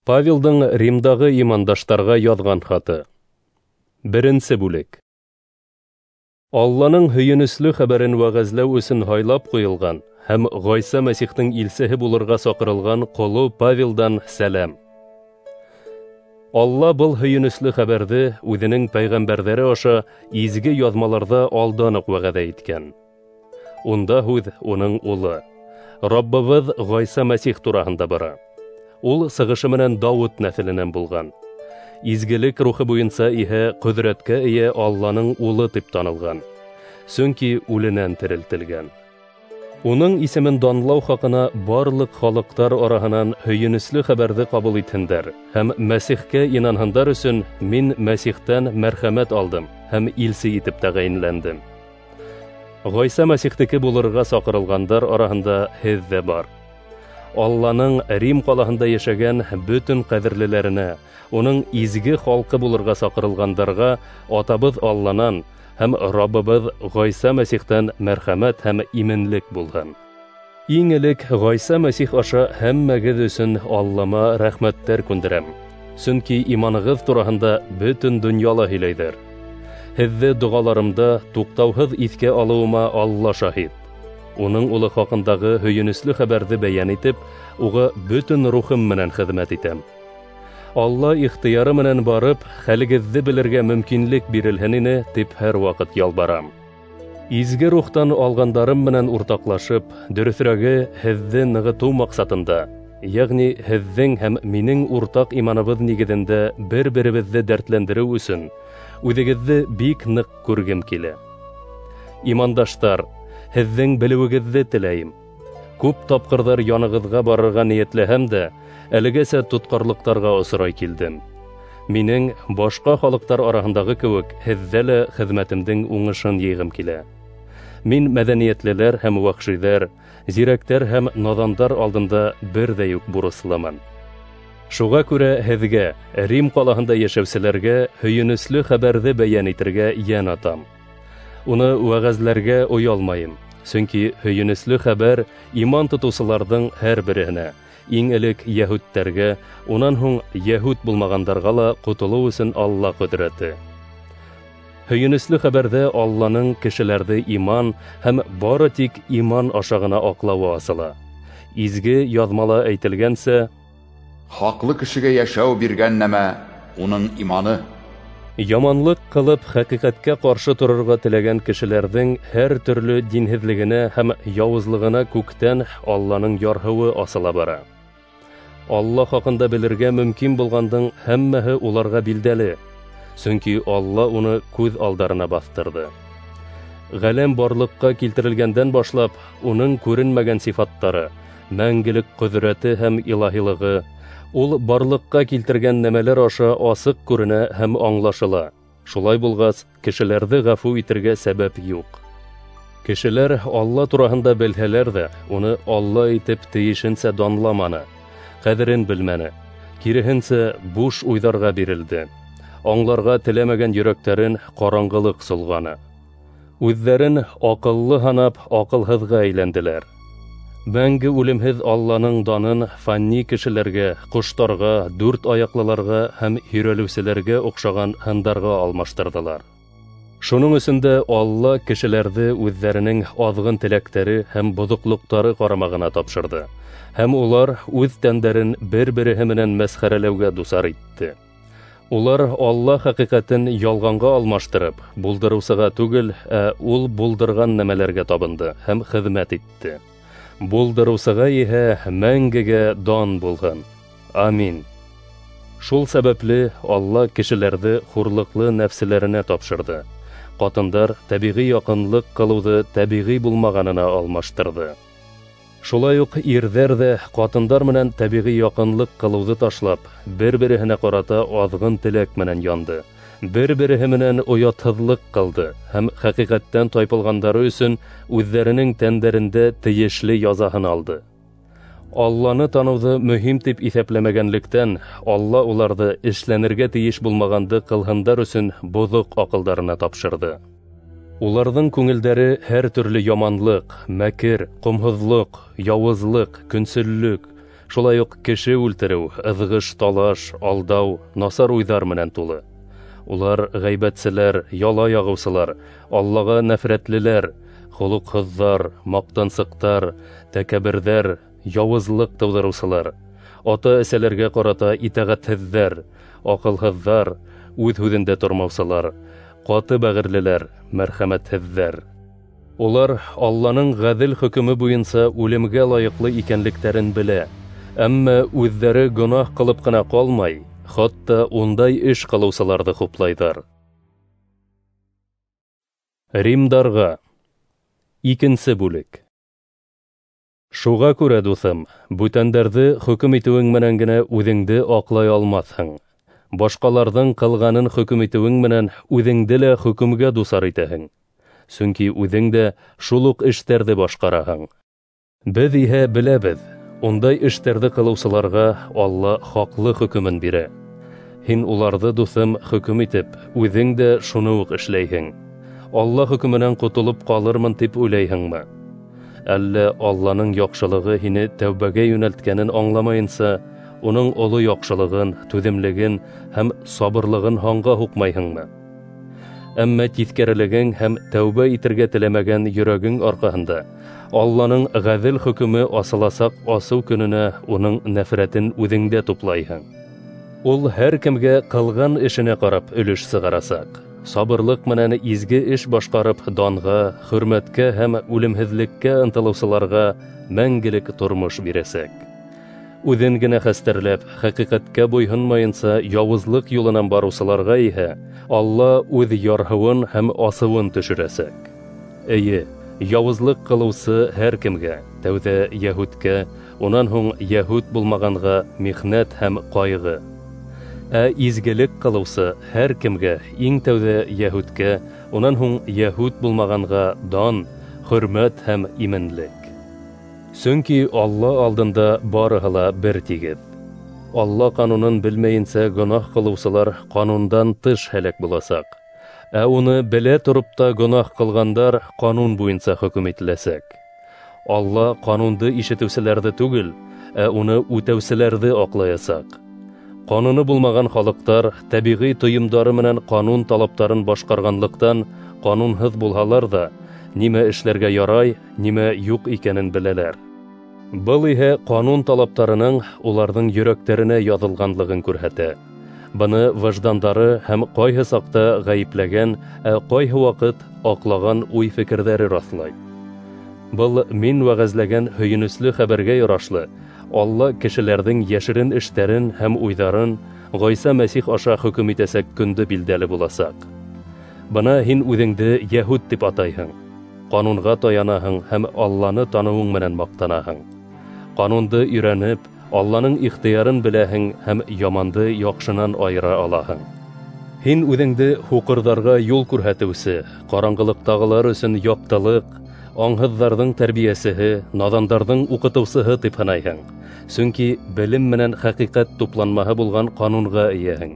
Павелдың Римдағы имандаштарға яҙған хаты. Беренсе бүлек. Алланың һөйөнөслө хәбәрен вәғәзләү өсөн һайлап ҡуйылған һәм Ғайса Мәсихтең илсеһе булырға саҡырылған ҡоло Павелдан сәләм. Алла был һөйөнөслө хәбәрҙе үҙенең пәйғәмбәрҙәре аша изге яҙмаларҙа алдан уҡ вәғәҙә иткән. Унда һүҙ уның улы, Раббыбыҙ Ғайса Мәсих тураһында бара. Ул сығышы менән Дауыт нәҫеленән булған. Изгелек рухы буйынса иһә ҡөҙрәткә эйә Алланың улы тип танылған. Сөнки үленән терелтелгән. Уның исемен данлау хаҡына барлыҡ халыҡтар араһынан һөйөнөслө хәбәрҙе ҡабул итһендәр һәм Мәсихкә инанһындар өсөн мин Мәсихтән мәрхәмәт алдым һәм илсе итеп тәғәйенләндем. Ғайса Мәсихтеке булырға саҡырылғандар араһында һеҙ ҙә бар. Алланың Рим ҡалаһында йәшәгән бөтөн ҡәҙерлеләренә, уның изге халҡы булырға саҡырылғандарға Атабыҙ Алланан һәм Раббыбыҙ Ғайса Мәсихтән мәрхәмәт һәм именлек булһын. Иң элек Ғайса Мәсих аша һәммәгеҙ өсөн Аллама рәхмәттәр күндерәм. Сөнки иманығыҙ тураһында бөтөн донъяла һөйләйҙәр. Һеҙҙе доғаларымда туҡтауһыҙ иҫкә алыуыма Алла шаһит. Уның улы хаҡындағы һөйөнөслө хәбәрҙе бәйән итеп, уға бөтөн рухым менән хеҙмәт итәм. Алла ихтыяры менән барып, хәлегеҙҙе белергә мөмкинлек бирелһен ине, тип һәр ваҡыт ялбарам. Изге рухтан алғандарым менән уртаҡлашып, дөрөҫөрәге, һеҙҙе нығытыу маҡсатында, йәғни һеҙҙең һәм минең уртаҡ иманыбыҙ нигеҙендә бер-беребеҙҙе дәртләндереү өсөн, үҙегеҙҙе бик ныҡ күргем килә. Имандаштар, һеҙҙең белеүегеҙҙе теләйем. Күп тапҡырҙар янығыҙға барырға ниәтләһәм дә, әлегәсә тотҡарлыҡтарға осрай килдем. Минең башҡа халыҡтар араһындағы кеүек һеҙҙә лә хеҙмәтемдең уңышын йыйғым килә. Мин мәҙәниәтлеләр һәм вәхшиҙәр, зирәктәр һәм наҙандар алдында берҙәй үк бурыслымын. Шуға күрә һеҙгә, Рим ҡалаһында йәшәүселәргә һөйөнөслө хәбәрҙе бәйән итергә йән атам. Уны вәғәзләргә оялмайым, сөнки һөйөнөслө хәбәр иман тотоусыларҙың һәр береһенә, иң элек йәһүдтәргә, унан һуң йәһүд булмағандарға ла ҡотолоу өсөн Алла ҡөҙрәте. Һөйөнөслө хәбәрҙә Алланың кешеләрҙе иман һәм бары тик иман аша ғына аҡлауы асыла. Изге яҙмала әйтелгәнсә, хаҡлы кешегә йәшәү биргән нәмә уның иманы. Яманлыҡ ҡылып хәҡиҡәткә ҡаршы торорға теләгән кешеләрҙең һәр төрлө динһеҙлегенә һәм яуызлығына күктән Алланың ярһыуы асыла бара. Алла хаҡында белергә мөмкин булғандың һәммәһе уларға билдәле, сөнки Алла уны күҙ алдарына баҫтырҙы. Ғәләм барлыҡҡа килтерелгәндән башлап, уның күренмәгән сифаттары, мәңгелек ҡөҙрәте һәм илаһилығы, ул барлыҡҡа килтергән нәмәләр аша асыҡ күренә һәм аңлашыла. Шулай булғас, кешеләрҙе ғәфү итергә сәбәп юҡ. Кешеләр Алла тураһында белһәләр ҙә, уны Алла итеп тейешенсә данламаны, ҡәҙерен белмәне, киреһенсә буш уйҙарға бирелде. Аңларға теләмәгән йөрәктәрен ҡараңғылыҡ солғаны. Үҙҙәрен аҡыллы һанап, аҡылһыҙға әйләнделәр. Мәңге үлемһеҙ Алланың данын фани кешеләргә, ҡоштарға, дүрт аяҡлыларға һәм һөйрәлеүселәргә оҡшаған һындарға алмаштырҙылар. Шуның өсөн дә Алла кешеләрҙе үҙҙәренең аҙғын теләктәре һәм боҙоҡлоҡтары ҡарамағына тапшырҙы, һәм улар үҙ тәндәрен бер-береһе менән мәсхәрәләүгә дусар итте. Улар Алла хәҡиҡәтен ялғанға алмаштырып, булдырыусыға түгел, ә ул булдырған нәмәләргә табынды һәм хеҙмәт итте. Булдырыусыға иһә мәңгегә дан булһын. Амин. Шул сәбәпле Алла кешеләрҙе хурлыҡлы нәфселәренә тапшырҙы. Ҡатындар тәбиғи яҡынлыҡ ҡылыуҙы тәбиғи булмағанына алмаштырҙы. Шулай уҡ ирҙәр ҙә ҡатындар менән тәбиғи яҡынлыҡ ҡылыуҙы ташлап, бер-береһенә ҡарата аҙғын теләк менән янды, бер-береһе менән оятһыҙлыҡ ҡылды һәм хәҡиҡәттән тайпылғандары өсөн үҙҙәренең тәндәрендә тейешле язаһын алды. Алланы таныуҙы мөһим тип иҫәпләмәгәнлектән, Алла уларҙы эшләнергә тейеш булмағанды ҡылһындар өсөн боҙоҡ аҡылдарына тапшырҙы. Уларҙың күңелдәре һәр төрлө яманлыҡ, мәкер, ҡомһоҙлоҡ, яуызлыҡ, көнсөллөк, Шулай уҡ кеше үлтереү, ыҙғыш-талаш, алдау, насар уйҙар менән тулы. Улар ғәйбәтселәр, яла яғыусылар, Аллаға нәфрәтлеләр, холоҡһоҙҙар, маҡтансыҡтар, тәкәбберҙәр, яуызлыҡ тыуҙырыусылар, ата-әсәләргә ҡарата итәғәтһеҙҙәр, аҡылһыҙҙар, үҙ һүҙендә тормаусылар, ҡаты бәғерлеләр, мәрхәмәтһеҙҙәр. Улар Алланың ғәҙел хөкөмө буйынса үлемгә лайыҡлы икәнлектәрен белә, әммә үҙҙәре гонаһ ҡылып ҡына ҡалмай, хатта ундай эш ҡылыусыларҙы хуплайҙар. Римдарға. 2 бүлек. Шуға күрә, дуҫым, бүтәндәрҙе хөкөм итеүең менән генә үҙеңде аҡлай алмаҫһың. Башҡаларҙың ҡылғанын хөкөм итеүең менән үҙеңде лә хөкөмгә дусар итәһең. Сөнки үҙең дә шул уҡ эштәрҙе башҡараһың. Беҙ иһә беләбеҙ, ундай эштәрҙе ҡылыусыларға Алла хаҡлы хөкөмөн бирә. Һин уларҙы, дуҫым, хөкөм итеп, үҙең дә шуны уҡ эшләйһең. Алла хөкөмөнән ҡотолоп ҡалырмын тип уйлайһыңмы? Әллә Алланың яҡшылығы һине тәүбәгә йүнәлткәнен аңламайынса, уның оло яҡшылығын, түҙемлеген һәм сабырлығын һанға һуҡмайһыңмы? Әммә тиҫкәрелегең һәм тәүбә итергә теләмәгән йөрәгең арҡаһында Алланың ғәҙел хөкөмө асыласаҡ асыу көнөнә уның нәфрәтен үҙеңдә туплайһың. Ул һәр кемгә ҡылған эшенә ҡарап өлөш сығарасаҡ. Сабырлыҡ менән изге эш башҡарып данға, хөрмәткә һәм үлемһеҙлеккә ынтылыусыларға мәңгелек тормош бирәсәк. Үҙен генә хәстәрләп, хәҡиҡәткә буйһонмайынса яуызлыҡ юлынан барыусыларға иһә Алла үҙ ярһыуын һәм асыуын төшөрәсәк. Эйе, яуызлыҡ ҡылыусы һәр кемгә, тәүҙә йәһүткә, унан һуң йәһүт булмағанға михнәт һәм ҡайғы. Ә изгелек ҡылыусы һәр кемгә, иң тәүҙә йәһүткә, унан һуң йәһүт булмағанға дан, хөрмәт һәм именлек. Сөнки Алла алдында барыһы ла бер тигеҙ. Алла ҡанунын белмәйенсә гонаһ ҡылыусылар ҡанундан тыш һәләк буласаҡ. Ә уны белә тороп та гонаһ ҡылғандар ҡанун буйынса хөкөм ителәсәк. Алла ҡанунды ишетеүселәрҙе түгел, ә уны үтәүселәрҙе аҡлаясаҡ. Ҡануны булмаған халыҡтар тәбиғи тойомдары менән ҡанун талаптарын башҡарғанлыҡтан ҡанунһыҙ булһалар ҙа, нимә эшләргә ярай, нимә юҡ икәнен беләләр. Был иһә ҡанун талаптарының уларҙың йөрәктәренә яҙылғанлығын күрһәтә. Быны выждандары һәм ҡайһы саҡта ғәйепләгән, ә ҡайһы ваҡыт аҡлаған уй-фекерҙәре раҫлай. Был мин вәғәзләгән һөйөнөслө хәбәргә ярашлы, Алла кешеләрҙең йәшерен эштәрен һәм уйҙарын Ғайса Мәсих аша хөкөм итәсәк көндө билдәле буласаҡ. Бына һин үҙеңде йәһүт тип атайһың, ҡанунға таянаһың һәм Алланы таныуың менән маҡтанаһың. Ҡанунды өйрәнеп, Алланың ихтыярын беләһең һәм яманды яҡшынан айыра алаһың. Һин үҙеңде һуҡырҙарға юл күрһәтеүсе, ҡараңғылыҡтағылар өсөн яҡтылыҡ, аңһыҙҙарҙың тәрбиәсеһе, наҙандарҙың уҡытыусыһы тип һанайһың. Сөнки белем менән хәҡиҡәт тупланмаһы булған ҡанунға эйәһең.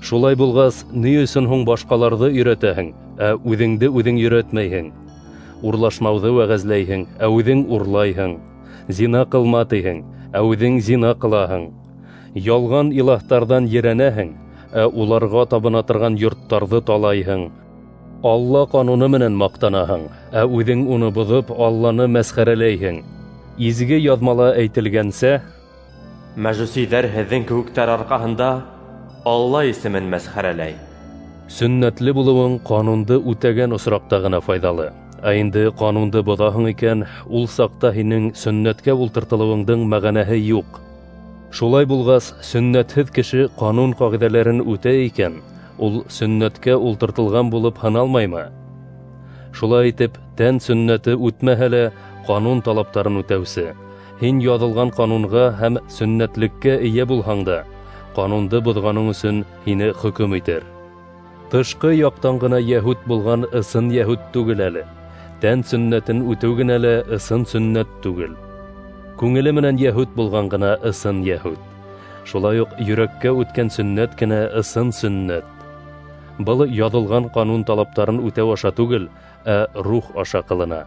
Шулай булғас, ни өсөн һуң башҡаларҙы өйрәтәһең, ә үҙеңде үҙең өйрәтмәйһең? Урлашмауҙы вәғәзләйһең, ә үҙең урлайһың. Зина ҡылма тиһең, ә үҙең зина ҡылаһың. Ялған илаһтарҙан ерәнәһең, ә уларға табына торған йорттарҙы талайһың. Алла ҡануны менән маҡтанаһың, ә үҙең уны боҙоп Алланы мәсхәрәләйһең. Изге яҙмала әйтелгәнсә, мәжүсиҙәр һеҙҙең кеүектәр арҡаһында Алла исемен мәсхәрәләй. Сөннәтле булыуың ҡанунды үтәгән осраҡта ғына файҙалы. Ә инде ҡанунды боҙаһың икән, ул саҡта һинең сөннәткә ултыртылыуыңдың мәғәнәһе юҡ. Шулай булғас, сөннәтһеҙ кеше ҡанун ҡағиҙәләрен үтә икән, ул сөннәткә ултыртылған булып һаналмаймы? Шулай итеп, тән сөннәте үтмәһә лә ҡанун талаптарын үтәүсе, һин яҙылған ҡанунға һәм сөннәтлеккә эйә булһаң да, ҡанунды боҙғаның өсөн һине хөкөм итер. Тышҡы яҡтан ғына йәһүт булған ысын йәһүт түгел әле. Тән сөннәтен үтеү генә лә ысын сөннәт түгел. Күңеле менән йәһүт булған ғына ысын йәһүт. Шулай уҡ йөрәккә үткән сөннәт кенә ысын сөннәт. Был яҙылған ҡанун талаптарын үтәү аша түгел, ә рух аша ҡылына.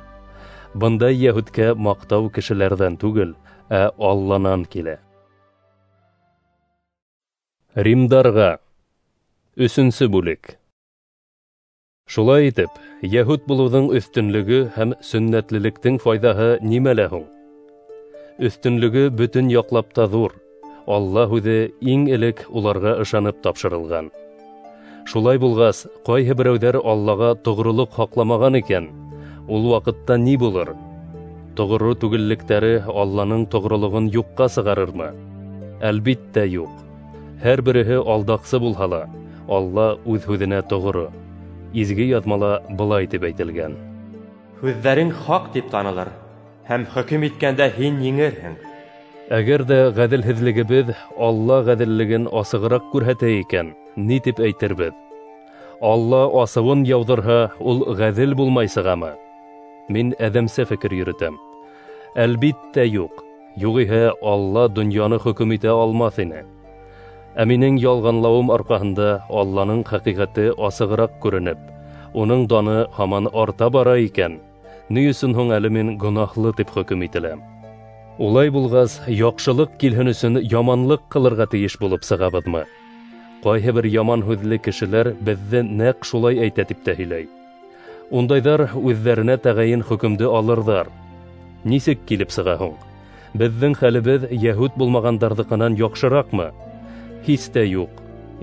Бындай йәһүткә маҡтау кешеләрҙән түгел, ә Алланан килә. Римдарға. 3-нсе бүлек. Шулай итеп, йәһүд булыуҙың өҫтөнлөгө һәм сөннәтлелектең файҙаһы нимәлә һуң? Өҫтөнлөгө бөтөн яҡлап та ҙур. Алла һүҙе иң элек уларға ышанып тапшырылған. Шулай булғас, ҡайһы берәүҙәр Аллаға тоғролоҡ һаҡламаған икән, ул ваҡытта ни булыр? Тоғро түгеллектәре Алланың тоғролоғон юҡҡа сығарырмы? Әлбиттә, юҡ. Һәр береһе алдаҡсы булһа ла, Алла үҙ һүҙенә тоғро. Изге яҙмала былай тип әйтелгән: Һүҙҙәрең хаҡ тип танылыр, һәм хөкөм иткәндә һин еңерһең. Әгәр ҙә ғәҙелһеҙлегебеҙ Алла ғәҙеллеген асығыраҡ күрһәтә икән, ни тип әйтербеҙ? Алла асыуын яуҙырһа, ул ғәҙел булмай сығамы? Мин әҙәмсә фекер йөрөтәм. Әлбиттә, юҡ. Юғиһә Алла донъяны хөкөм итә алмаҫ ине. Ә минең ялғанлауым арҡаһында Алланың хәҡиҡәте асығыраҡ күренеп, уның даны һаман арта бара икән, ни өсөн һуң әле мин гонаһлы тип хөкөм ителәм? Улай булғас, яҡшылыҡ килһен өсөн яманлыҡ ҡылырға тейеш булып сығабыҙмы? Ҡайһы бер яман һүҙле кешеләр беҙҙе нәҡ шулай әйтә тип тә һөйләй. Ундайҙар үҙҙәренә тәғәйен хөкөмдө алырҙар. Нисек килеп сыға һуң? Беҙҙең хәлебеҙ йәһүд булмағандарҙыҡынан яҡшыраҡмы? Һис тә юҡ.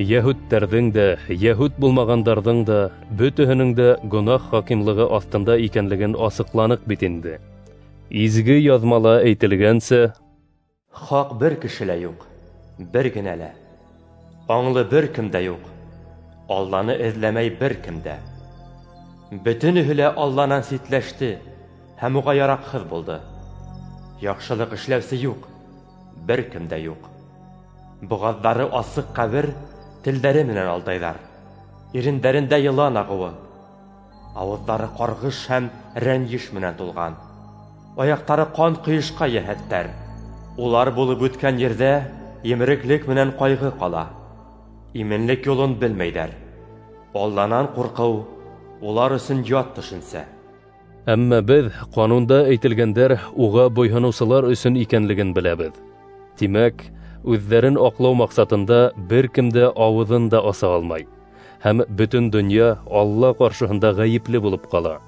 Йәһүдтәрҙең дә, йәһүд булмағандарҙың да, бөтөһөнөң дә гонаһ хакимлығы аҫтында икәнлеген асыҡланыҡ бит инде. Изге яҙмала әйтелгәнсә, хаҡ бер кеше лә юҡ, бер генә лә. Аңлы бер кем дә юҡ, Алланы эҙләмәй бер кем дә. Бөтөнөһө лә Алланан ситләште һәм уға яраҡһыҙ булды. Яҡшылыҡ эшләүсе юҡ, бер кем дә юҡ. Боғаҙҙары асыҡ ҡәбер, телдәре менән алдайҙар. Ирендәрендә йылан ағыуы, ауыҙҙары ҡарғыш һәм рәнйеш менән тулған. Аяҡтары ҡан ҡойошҡа йәһәттәр. Улар булып үткән ерҙә емереклек менән ҡайғы ҡала. Именлек юлын белмәйҙәр. Алланан ҡурҡыу улар өсөн ят төшөнсә. Әммә беҙ ҡанунда әйтелгәндәр уға буйһоноусылар өсөн икәнлеген беләбеҙ. Тимәк, үҙҙәрен аҡлау маҡсатында бер кем дә ауыҙын да аса алмай, һәм бөтөн донъя Алла ҡаршыһында ғәйепле булып ҡала.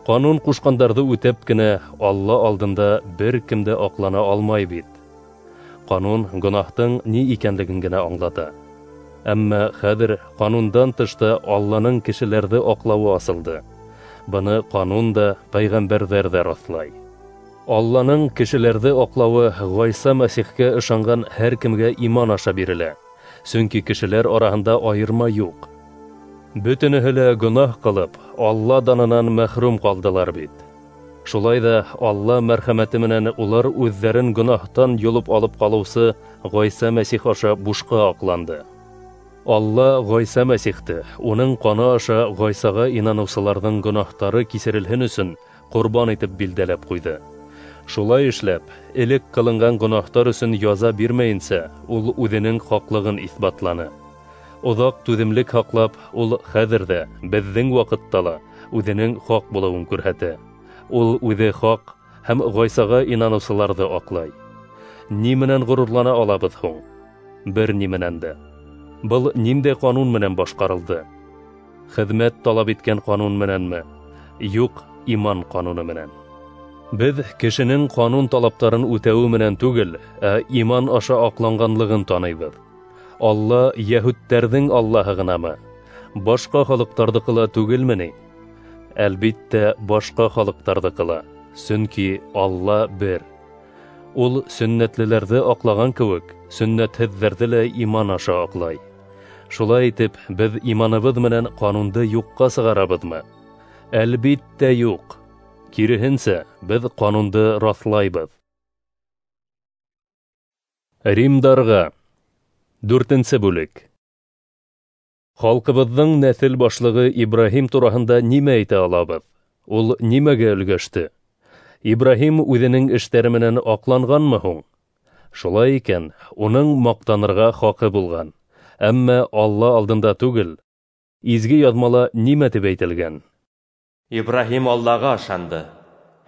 Ҡанун ҡушҡандарҙы үтәп кенә Алла алдында бер кем дә аҡлана алмай бит. Ҡанун гонаһтың ни икәнлеген генә аңлата. Әммә хәҙер ҡанундан тышта Алланың кешеләрҙе аҡлауы асылды. Быны ҡанун да, пәйғәмбәрҙәр ҙә раҫлай. Алланың кешеләрҙе аҡлауы Ғайса Мәсихкә ышанған һәр кемгә иман аша бирелә. Сөнки кешеләр араһында айырма юҡ. Бөтөнөһө лә гонаһ ҡылып, Алла данынан мәхрүм ҡалдылар бит. Шулай ҙа Алла мәрхәмәте менән улар үҙҙәрен гонаһтан йолоп алып ҡалыусы Ғайса Мәсих аша бушҡа аҡланды. Алла Ғайса Мәсихте, уның ҡаны аша Ғайсаға инаныусыларҙың гонаһтары кисерелһен өсөн ҡорбан итеп билдәләп ҡуйҙы. Шулай эшләп, элек ҡылынған гонаһтар өсөн яза бирмәйенсә, ул үҙенең хаҡлығын иҫбатланы. Оҙаҡ түҙемлек һаҡлап, ул хәҙер ҙә, беҙҙең ваҡытта ла үҙенең хаҡ булыуын күрһәтә. Ул үҙе хаҡ һәм Ғайсаға инаныусыларҙы аҡлай. Ни менән ғорурлана алабыҙ һуң? Бер ни менән дә. Был ниндәй ҡанун менән башҡарылды? Хеҙмәт талап иткән ҡанун менәнме? Юҡ, иман ҡануны менән. Беҙ кешенең ҡанун талаптарын үтәүе менән түгел, ә иман аша аҡланғанлығын таныйбыҙ. Алла йәһүдтәрҙең Аллаһы ғынамы? Башҡа халыҡтарҙыҡы ла түгелме ни? Әлбиттә, башҡа халыҡтарҙыҡы ла, сөнки Алла бер. Ул сөннәтлеләрҙе аҡлаған кеүек, сөннәтһеҙҙәрҙе лә иман аша аҡлай. Шулай итеп, беҙ иманыбыҙ менән ҡанунды юҡҡа сығарабыҙмы? Әлбиттә, юҡ. Киреһенсә, беҙ ҡанунды раҫлайбыҙ. Римдарға. 4-нсе бүлек. Халҡыбыҙҙың нәҫел башлығы Ибраһим тураһында нимә әйтә алабыҙ? Ул нимәгә өлгәште? Ибраһим үҙенең эштәре менән аҡланғанмы һуң? Шулай икән, уның маҡтанырға хаҡы булған. Әммә Алла алдында түгел. Изге яҙмала нимә тип әйтелгән? Ибраһим Аллаға ышанды,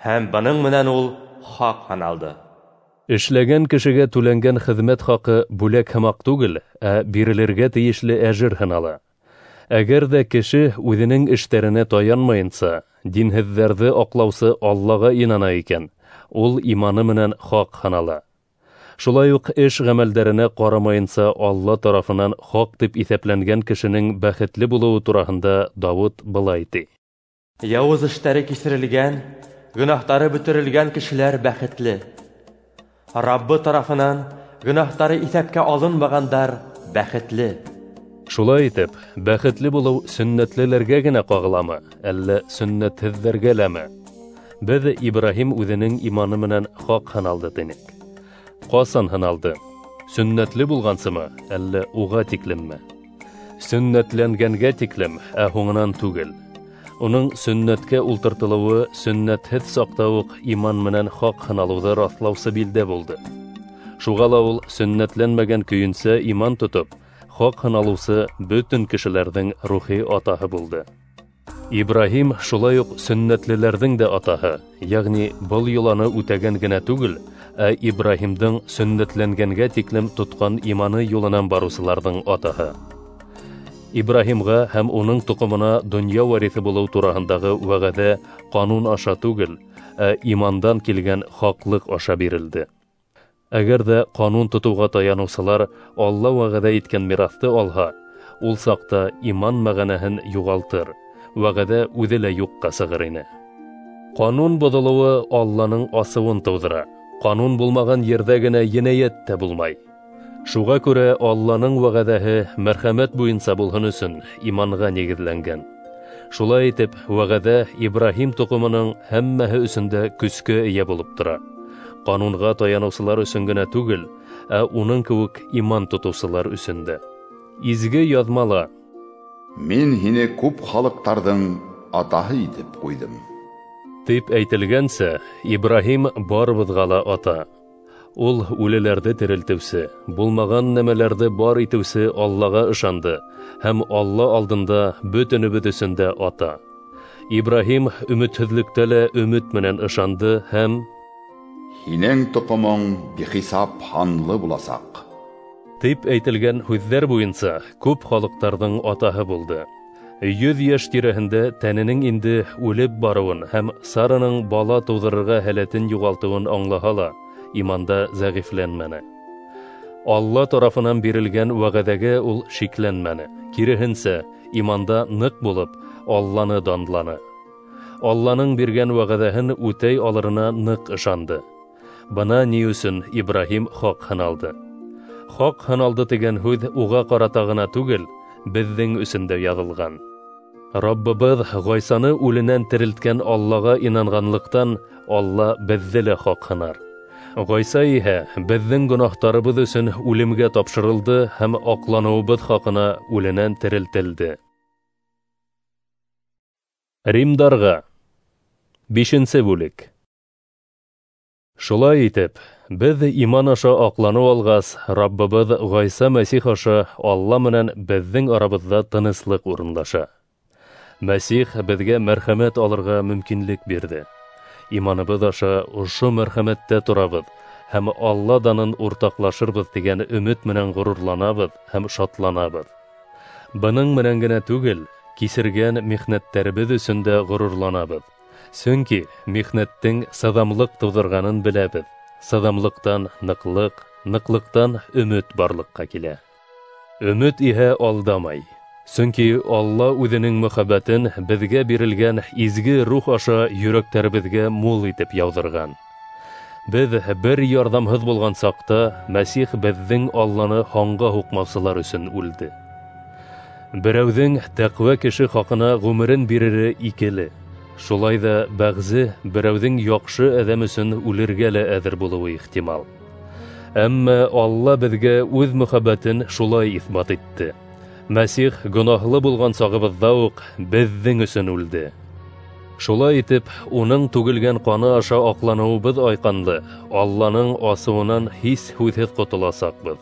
һәм бының менән ул хаҡ һаналды. Эшләгән кешегә түләнгән хеҙмәт хаҡы бүләк һымаҡ түгел, ә бирелергә тейешле әжер һанала. Әгәр ҙә кеше үҙенең эштәренә таянмайынса, динһеҙҙәрҙе аҡлаусы Аллаға инана икән, ул иманы менән хаҡ һанала. Шулай уҡ эш ғәмәлдәренә ҡарамайынса Алла тарафынан хаҡ тип иҫәпләнгән кешенең бәхетле булыуы тураһында Дауыт былай ти: Яуыз эштәре кисерелгән, гөнаһтары бөтөрөлгән кешеләр бәхетле. Раббы тарафынан гөнаһтары иҫәпкә алынмағандар бәхетле. Шулай итеп, бәхетле булыу сөннәтлеләргә генә ҡағыламы, әллә сөннәтһеҙҙәргә ләме? Беҙ Ибраһим үҙенең иманы менән хаҡ һаналды тинек. Ҡасан һаналды? Сөннәтле булғансымы, әллә уға тиклемме? Сөннәтләнгәнгә тиклем, ә һуңынан түгел. Уның сөннәткә ултыртылыуы сөннәтһеҙ саҡта уҡ иман менән хаҡ һаналыуҙы раҫлаусы билдә булды. Шуға ла ул сөннәтләнмәгән көйөнсә иман тотоп, хаҡ һаналыусы бөтөн кешеләрҙең рухи атаһы булды. Ибраһим шулай уҡ сөннәтлеләрҙең дә атаһы, йәғни был йоланы үтәгән генә түгел, ә Ибраһимдың сөннәтләнгәнгә тиклем тотҡан иманы юлынан барыусыларҙың атаһы. Ибраһимға һәм уның тоҡомона донъя вариҫы булыу тураһындағы вәғәҙә ҡанун аша түгел, ә имандан килгән хаҡлыҡ аша бирелде. Әгәр ҙә ҡанун тотоуға таяныусылар Алла вәғәҙә иткән мираҫты алһа, ул саҡта иман мәғәнәһен юғалтыр, вәғәҙә үҙе лә юҡҡа сығыр ине. Ҡанун боҙолоуы Алланың асыуын тыуҙыра. Ҡанун булмаған ерҙә генә енәйәт тә булмай. Шуға күрә Алланың вәғәҙәһе мәрхәмәт буйынса булһын өсөн иманға нигеҙләнгән. Шулай итеп, вәғәҙә Ибраһим тоҡомоноң һәммәһе өсөн дә көскә эйә булып тора. Ҡанунға таяныусылар өсөн генә түгел, ә уның кеүек иман тотоусылар өсөн дә. Изге яҙмала: Мин һине күп халыҡтарҙың атаһы итеп ҡуйҙым, тип әйтелгәнсә, Ибраһим барыбыҙға ла ата. Ул үлеләрҙе терелтеүсе, булмаған нәмәләрҙе бар итеүсе Аллаға ышанды һәм Алла алдында бөтөнөбөҙ өсөн дә ата. Ибраһим өмөтһөҙлөктә лә өмөт менән ышанды һәм һинең тоҡомоң бихисап һанлы буласаҡ, тип әйтелгән һүҙҙәр буйынса күп халыҡтарҙың атаһы булды. 100 йәш тирәһендә тәненең инде үлеп барыуын һәм Сараның бала тыуҙырырға һәләтен юғалтыуын аңлаһа ла, иманда зәғифләнмәне. Алла тарафынан бирелгән вәғәҙәгә ул шикләнмәне. Киреһенсә, иманда ныҡ булып, Алланы данланы. Алланың биргән вәғәҙәһен үтәй алырына ныҡ ышанды. Бына ни өсөн Ибраһим хаҡ һаналды. Хаҡ һаналды тигән һүҙ уға ҡарата ғына түгел, беҙҙең өсөн дә яҙылған. Раббыбыҙ Ғайсаны үленән терелткән Аллаға инанғанлыҡтан Алла беҙҙе лә хаҡ һанар. Ғайса иһә беҙҙең гонаһтарыбыҙ өсөн үлемгә тапшырылды һәм аҡланыуыбыҙ хаҡына үленән терелтелде. Римдарға 5-нсе бүлек. Шулай итеп, беҙ иман аша аҡланыу алғас, Раббыбыҙ Ғайса Мәсих аша Алла менән беҙҙең арабыҙҙа тыныслыҡ урынлаша. Мәсих беҙгә мәрхәмәт алырға мөмкинлек бирҙе. Иманыбыҙ аша ошо мәрхәмәттә торабыҙ һәм Алла данын уртаҡлашырбыҙ тигән өмөт менән ғорурланабыҙ һәм шатланабыҙ. Бының менән генә түгел, кисергән михнәттәребеҙ өсөн дә ғорурланабыҙ. Сөнки михнәттең сыҙамлыҡ тыуҙырғанын беләбеҙ. Сыҙамлыҡтан ныҡлыҡ, ныҡлыҡтан өмөт барлыҡҡа килә. Өмөт иһә алдамай. Сөнки Алла үҙенең мөхәббәтен беҙгә бирелгән изге рух аша йөрәктәребеҙгә мул итеп яуҙырған. Беҙ бер ярҙамһыҙ булған саҡта Мәсих беҙҙең Алланы һанға һуҡмаусылар өсөн үлде. Берәүҙең тәҡүә кеше хаҡына ғүмерен бирере икеле. Шулай ҙа бәғзе берәүҙең яҡшы әҙәм өсөн үлергә лә әҙер булыуы ихтимал. Әммә Алла беҙгә үҙ мөхәббәтен шулай иҫбат итте. Мәсих гонаһлы булған сағыбыҙҙа уҡ беҙҙең өсөн үлде. Шулай итеп, уның түгелгән ҡаны аша аҡланыуыбыҙ айҡанлы, Алланың асыуынан һис һүҙһеҙ ҡотоласаҡбыҙ.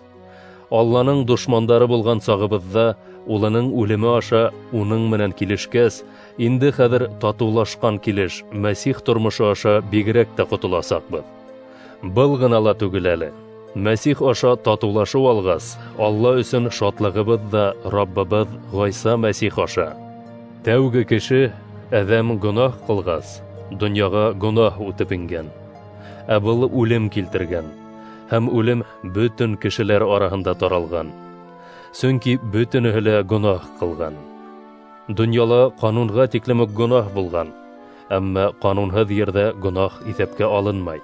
Алланың дошмандары булған сағыбыҙҙа улының үлеме аша уның менән килешкәс, инде хәҙер татыулашҡан килеш Мәсих тормошо аша бигерәк тә ҡотоласаҡбыҙ. Был ғына ла түгел әле. Мәсих аша татыулашыу алғас, Алла өсөн шатлығыбыҙ ҙа Раббыбыҙ Ғайса Мәсих аша. Тәүге кеше Әҙәм гонаһ ҡылғас, донъяға гонаһ үтеп ингән. Ә был үлем килтергән, һәм үлем бөтөн кешеләр араһында таралған. Сөнки бөтөнөһө лә гонаһ ҡылған. Донъяла ҡанунға тиклем үк гонаһ булған, әммә ҡанунһыҙ ерҙә гонаһ иҫәпкә алынмай.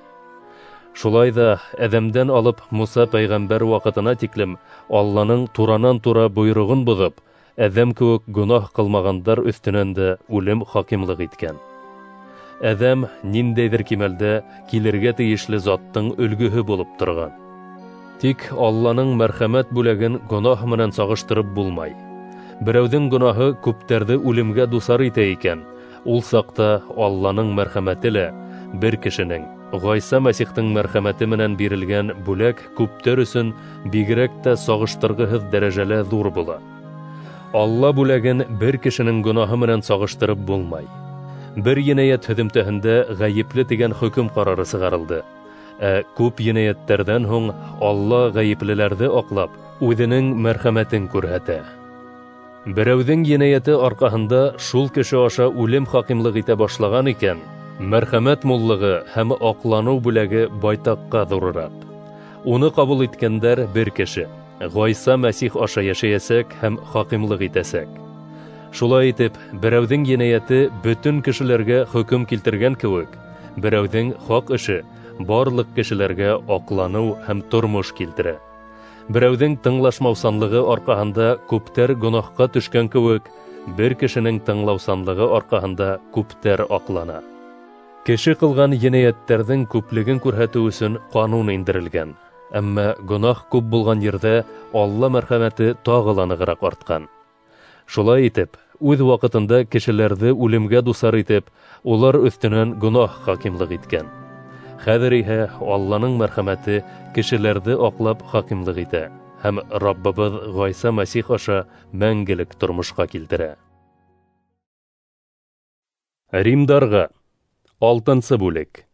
Шулай ҙа Әҙәмдән алып Муса пәйғәмбәр ваҡытына тиклем Алланың туранан-тура бойороғон боҙоп, Әҙәм кеүек гонаһ ҡылмағандар өҫтөнән дә үлем хакимлыҡ иткән. Әҙәм ниндәйҙер кимәлдә килергә тейешле заттың өлгөһө булып торған. Тик Алланың мәрхәмәт бүләген гонаһ менән сағыштырып булмай. Берәүҙең гонаһы күптәрҙе үлемгә дусар итә икән, ул саҡта Алланың мәрхәмәте лә бер кешенең, Ғайса Мәсихтең мәрхәмәте менән бирелгән бүләк күптәр өсөн бигерәк тә сағыштырғыһыҙ дәрәжәлә ҙур була. Алла бүләген бер кешенең гонаһы менән сағыштырып булмай. Бер енәйәт һөҙөмтәһендә ғәйепле тигән хөкөм ҡарары сығарылды. Ә күп енәйәттәрҙән һуң Алла ғәйеплеләрҙе аҡлап, үҙенең мәрхәмәтен күрһәтә. Берәүҙең енәйәте арҡаһында шул кеше аша үлем хакимлыҡ итә башлаған икән, мәрхәмәт муллығы һәм аҡланыу бүләге байтаҡҡа ҙурыраҡ. Уны ҡабул иткәндәр бер кеше, Ғайса Мәсих аша йәшәйәсәк һәм хакимлыҡ итәсәк. Шулай итеп, берәүҙең енәйәте бөтөн кешеләргә хөкөм килтергән кеүек, берәүҙең хаҡ эше барлыҡ кешеләргә аҡланыу һәм тормош килтерә. Берәүҙең тыңлашмаусанлығы арҡаһында күптәр гонаһҡа төшкән кеүек, бер кешенең тыңлаусанлығы арҡаһында күптәр аҡлана. Кеше ҡылған енәйәттәрҙең күплеген күрһәтеү өсөн ҡанун индерелгән. Әммә гонаһ күп булған ерҙә Алла мәрхәмәте тағы ла нығыраҡ артҡан. Шулай итеп, үҙ ваҡытында кешеләрҙе үлемгә дусар итеп, улар өҫтөнән гонаһ хакимлыҡ иткән. Хәҙер иһә Алланың мәрхәмәте кешеләрҙе аҡлап хакимлыҡ итә һәм Раббыбыҙ Ғайса Мәсих аша мәңгелек тормошҡа килтерә. Римдарға 6-нсы бүлек.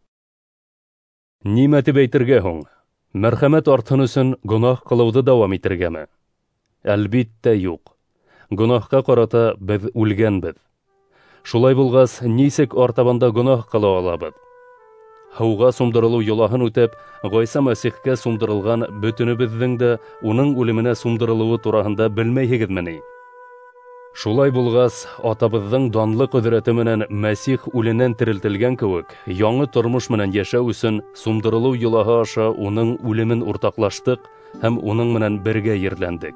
Нимә тип әйтергә һуң? Мәрхәмәт артһын өсөн гонаһ ҡылыуҙы дауам итергәме? Әлбиттә, юҡ. Гонаһҡа ҡарата беҙ үлгәнбеҙ. Шулай булғас, нисек артабанда гонаһ ҡыла алабыҙ? Һыуға сумдырылыу йолаһын үтеп, Ғайса Мәсихкә сумдырылған бөтөнөбөҙҙөң дә уның үлеменә сумдырылыуы тураһында белмәйһегеҙме ни? Шулай булғас, атабыҙҙың данлы ҡөҙрәте менән Мәсих үленән терелтелгән кеүек, яңы тормош менән йәшәү өсөн сумдырылыу йолаһы аша уның үлемен уртаҡлаштыҡ һәм уның менән бергә ерләндек.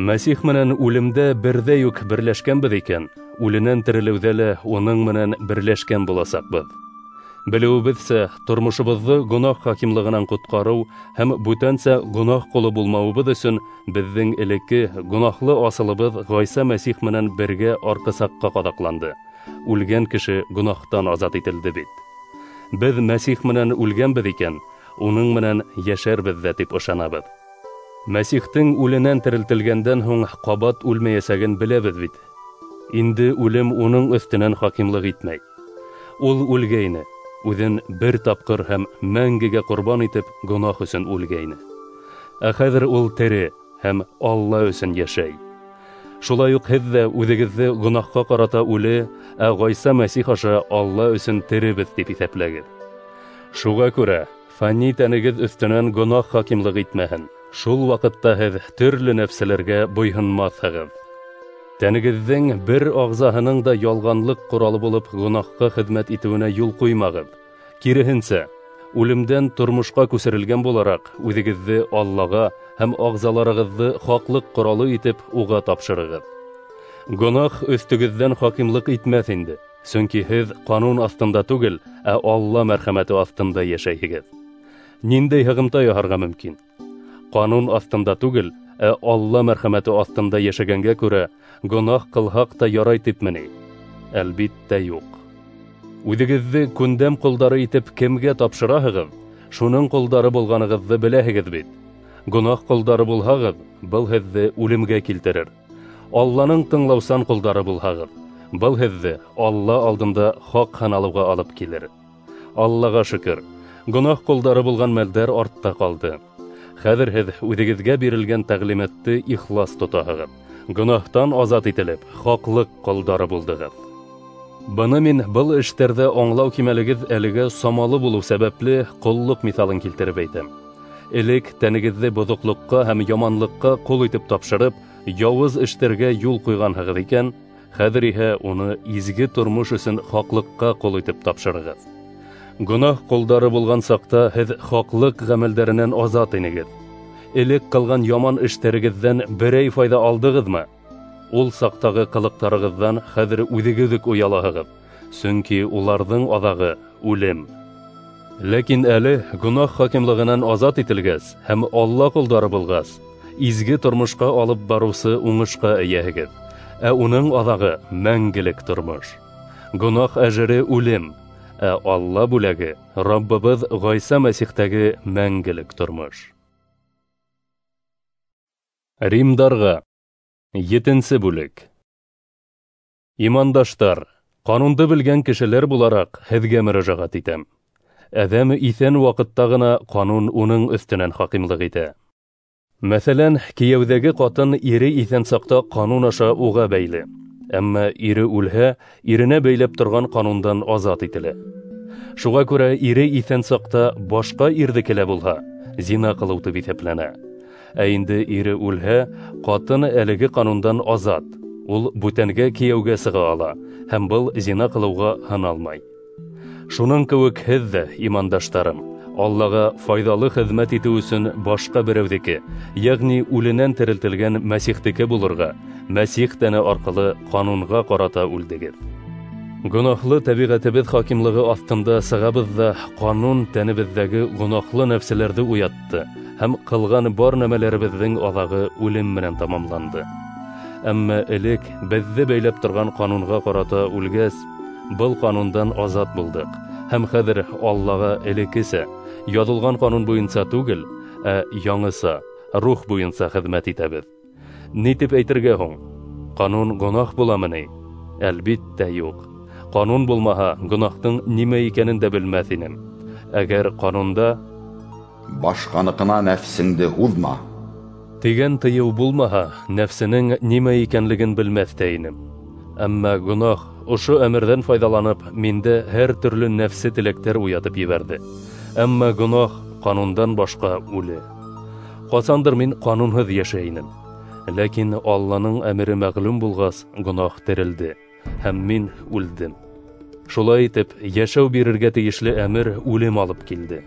Мәсих менән үлемдә берҙәй үк берләшкәнбеҙ икән, үленән терелеүҙә лә уның менән берләшкән буласаҡбыҙ. Белеүебеҙсә, тормошобоҙҙо гонаһ хакимлығынан ҡотҡарыу һәм бүтәнсә гонаһ ҡоло булмауыбыҙ өсөн беҙҙең элекке гонаһлы асылыбыҙ Ғайса Мәсих менән бергә арҡысаҡҡа ҡаҙаҡланды. Үлгән кеше гонаһтан азат ителде бит. Беҙ Мәсих менән үлгәнбеҙ икән, уның менән йәшәрбеҙ ҙә тип ышанабыҙ. Мәсихтең үленән терелтелгәндән һуң ҡабат үлмәйәсәген беләбеҙ бит. Инде үлем уның өҫтөнән хакимлыҡ итмәй. Ул үлгәйне, үҙен бер тапҡыр һәм мәңгегә ҡорбан итеп гонаһ өсөн үлгәйне. Ә хәҙер ул тере һәм Алла өсөн йәшәй. Шулай уҡ һеҙ ҙә үҙегеҙҙе гонаһҡа ҡарата үле, ә Ғайса Мәсих аша Алла өсөн теребеҙ тип иҫәпләгеҙ. Шуға күрә фани тәнегеҙ өҫтөнән гонаһ хакимлыҡ итмәһен. Шул ваҡытта һеҙ төрлө нәфселәргә буйһынмаҫһығыҙ. Тәнегеҙҙең бер ағзаһының да ялғанлыҡ ҡоралы булып гонаһҡа хеҙмәт итеүенә юл ҡуймағыҙ. Киреһенсә, үлемдән тормошҡа күсерелгән булараҡ, үҙегеҙҙе Аллаға һәм ағзаларығыҙҙы хаҡлыҡ ҡоралы итеп уға тапшырығыҙ. Гонаһ өҫтөгөҙҙән хакимлыҡ итмәҫ инде, сөнки һеҙ ҡанун аҫтында түгел, ә Алла мәрхәмәте аҫтында йәшәйһегеҙ. Ниндәй һығымта яһарға мөмкин? Ҡанун аҫтында түгел, ә Алла мәрхәмәте аҫтында йәшәгәнгә күрә гонаһ ҡылһаҡ та ярай типме ни? Әлбиттә, юҡ. Үҙегеҙҙе күндәм ҡолдары итеп кемгә тапшыраһығыҙ, шуның ҡолдары булғанығыҙҙы беләһегеҙ бит. Гонаһ ҡолдары булһағыҙ, был һеҙҙе үлемгә килтерер. Алланың тыңлаусан ҡолдары булһағыҙ, был һеҙҙе Алла алдында хаҡ һаналыуға алып килер. Аллаға шөкөр, Гонаһ ҡолдары булған мәлдәр артта ҡалды. Хәҙер һеҙ үҙегеҙгә бирелгән тәғлимәтте ихлас тотаһығыҙ. Гонаһтан азат ителеп, хаҡлыҡ ҡолдары булдығыҙ. Быны мин был эштәрҙә аңлау кимәлегеҙ әлегә самалы булыу сәбәпле ҡоллоҡ миҫалын килтереп әйтәм. Элек тәнегеҙҙе боҙоҡлоҡҡа һәм яманлыҡҡа ҡол итеп тапшырып, яуыз эштәргә юл ҡуйғанһығыҙ икән, хәҙер иһә уны изге тормош өсөн хаҡлыҡҡа ҡол итеп тапшырығыҙ. Гонаһ ҡолдары булған саҡта һеҙ хаҡлыҡ ғәмәлдәренән азат инегеҙ. Элек ҡылған яман эштәрегеҙҙән берәй файҙа алдығыҙмы? Ул саҡтағы ҡылыҡтарығыҙҙан хәҙер үҙегеҙ үк оялаһығыҙ, сөнки уларҙың аҙағы үлем. Ләкин әле гонаһ хакимлығынан азат ителгәс һәм Алла ҡолдары булғас, изге тормошҡа алып барыусы уңышҡа эйәһегеҙ, ә уның аҙағы мәңгелек тормош. Гонаһ әжере үлем, ә Алла бүләге Раббыбыҙ Ғайса Мәсихтәге мәңгелек тормош. Римдарға 7-нсе бүлек. Имандаштар, ҡанунды белгән кешеләр булараҡ һеҙгә мөрәжәғәт итәм. Әҙәм иҫән ваҡытта ғына ҡанун уның өҫтөнән хакимлыҡ итә. Мәҫәлән, кейәүҙәге ҡатын ире иҫән саҡта ҡанун аша уға бәйле. Әммә ире үлһә, иренә бәйләп торған ҡанундан азат ителә. Шуға күрә ире иҫән саҡта башҡа ирҙеке лә булһа, зина ҡылыу тип иҫәпләнә. Ә инде ире үлһә, ҡатын әлеге ҡанундан азат. Ул бүтәнгә кейәүгә сыға ала һәм был зина ҡылыуға һаналмай. Шуның кеүек һеҙ ҙә, имандаштарым, Аллаға файҙалы хеҙмәт итеү өсөн башҡа берәүҙеке, йәғни үленән терелтелгән Мәсихтеке булырға, Мәсих тәне арҡылы ҡанунға ҡарата үлдегеҙ. Гонаһлы тәбиғәтебеҙ хакимлығы аҫтында сығабыҙ ҙа, ҡанун тәнебеҙҙәге гонаһлы нәфселәрҙе уятты һәм ҡылған бар нәмәләребеҙҙең аҙағы үлем менән тамамланды. Әммә элек беҙҙе бәйләп торған ҡанунға ҡарата үлгәс, был ҡанундан азат булдыҡ һәм хәҙер Аллаға элеккесә яҙылған ҡанун буйынса түгел, ә яңыса, рух буйынса хеҙмәт итәбеҙ. Ни тип әйтергә һуң? Ҡанун гонаһ буламы ни? Әлбиттә юҡ. Ҡанун булмаһа, гонаһтың нимә икәнен дә белмәҫ инем. Әгәр ҡанунда башҡаныҡына нәфсеңде һуҙма тигән тыйыу булмаһа, нәфсенең нимә икәнлеген белмәҫ тә инем. Әммә гонаһ ошо әмерҙән файҙаланып, миндә һәр төрлө нәфсе теләктәр уятып ебәрҙе. Әммә гонаһ ҡанундан башҡа үле. Ҡасандыр мин ҡанунһыҙ йәшәй инем. Ләкин Алланың әмере мәғлүм булғас, гонаһ терелде, һәм мин үлдем. Шулай итеп, йәшәү бирергә тейешле әмер үлем алып килде.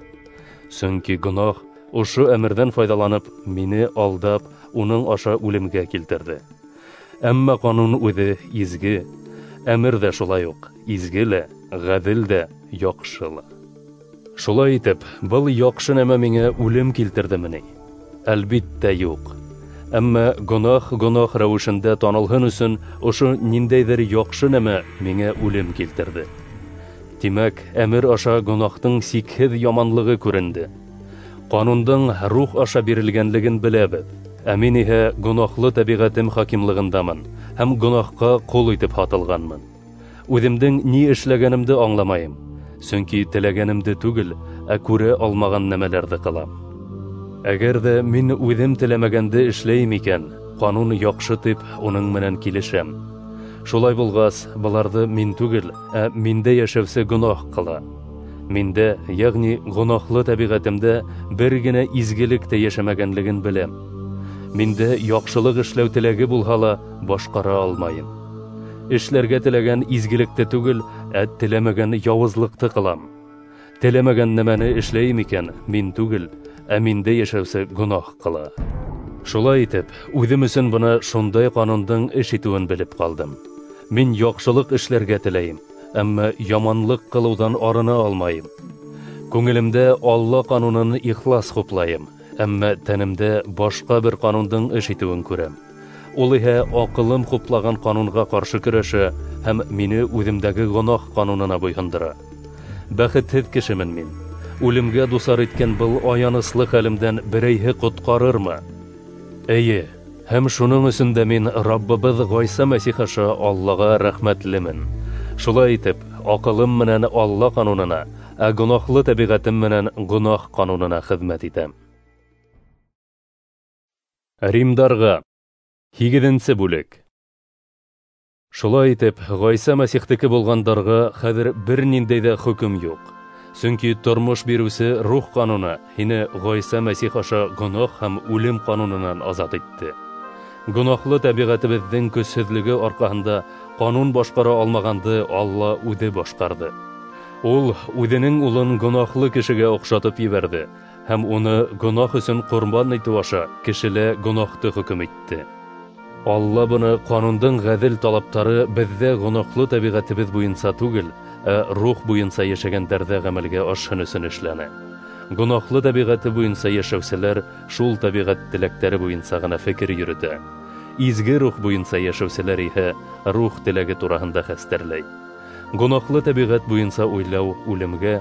Сөнки гонаһ ошо әмерҙән файҙаланып, мине алдап, уның аша үлемгә килтерҙе. Әммә ҡанун үҙе изге, әмер ҙә шулай уҡ изге лә, ғәҙел дә, яҡшы ла. Шулай итеп, был яҡшы нәмә миңә үлем килтерҙеме ни? Әлбиттә юҡ. Әммә гонаһ гонаһ рәүешендә танылһын өсөн ошо ниндәйҙер яҡшы нәмә миңә үлем килтерҙе. Тимәк, әмер аша гонаһтың сикһеҙ яманлығы күренде. Ҡанундың рух аша бирелгәнлеген беләбеҙ. Ә мин иһә гонаһлы тәбиғәтем хакимлығындамын һәм гонаһҡа ҡол итеп һатылғанмын. Үҙемдең ни эшләгәнемде аңламайым, сөнки теләгәнемде түгел, ә күрә алмаған нәмәләрҙе ҡылам. Әгәр ҙә мин үҙем теләмәгәнде эшләйем икән, ҡанун яҡшы тип уның менән килешәм. Шулай булғас, быларҙы мин түгел, ә миндә йәшәүсе гонаһ ҡыла. Миндә, йәғни гонаһлы тәбиғәтемдә бер генә изгелек тә йәшәмәгәнлеген беләм. Миндә яҡшылыҡ эшләү теләге булһа ла башҡара алмайым. Эшләргә теләгән изгелекте түгел, ә теләмәгән яуызлыҡты ҡылам. Теләмәгән нәмәне эшләйем икән, мин түгел, ә миндә йәшәүсе гонаһ ҡыла. Шулай итеп, үҙем өсөн бына шундай ҡанундың эш итеүен белеп ҡалдым. Мин яҡшылыҡ эшләргә теләйем, әммә яманлыҡ ҡылыуҙан арына алмайым. Күңелемдә Алла ҡанунын ихлас хуплайым, әммә тәнемдә башҡа бер ҡанундың эш итеүен күрәм. Ул иһә аҡылым хуплаған ҡанунға ҡаршы көрәшә һәм мине үҙемдәге гонаһ ҡанунына буйһондора. Бәхетһеҙ кешемен мин. Үлемгә дусар иткән был аяныслы хәлемдән берәйһе ҡотҡарырмы? Эйе, һәм шуның өсөн дә мин Раббыбыҙ Ғайса Мәсих аша Аллаға рәхмәтлемен. Шулай итеп, аҡылым менән Алла ҡанунына, ә гонаһлы тәбиғәтем менән гонаһ ҡанунына хеҙмәт итәм. Римдарға 8-нсе бүлек. Шулай итеп, Ғайса Мәсихтеке булғандарға хәҙер бер ниндәй ҙә хөкөм юҡ. Сөнки тормош биреүсе рух ҡануны һине Ғайса Мәсих аша гонаһ һәм үлем ҡанунынан азат итте. Гонаһлы тәбиғәтебеҙҙең көсһөҙлөгө арҡаһында ҡанун башҡара алмағанды Алла үҙе башҡарҙы. Ул үҙенең улын гонаһлы кешегә оҡшатып ебәрҙе һәм уны гонаһ өсөн ҡорбан итеү аша кешелә гонаһты хөкөм итте. Алла быны ҡанундың ғәҙел талаптары беҙҙә гонаһлы тәбиғәтебеҙ буйынса түгел, ә рух буйынса йәшәгәндәрҙә ғәмәлгә ашһын өсөн эшләне. Гонаһлы тәбиғәте буйынса йәшәүселәр шул тәбиғәт теләктәре буйынса ғына фекер йөрөтә. Изге рух буйынса йәшәүселәр иһә рух теләге тураһында хәстәрләй. Гонаһлы тәбиғәт буйынса уйлау үлемгә,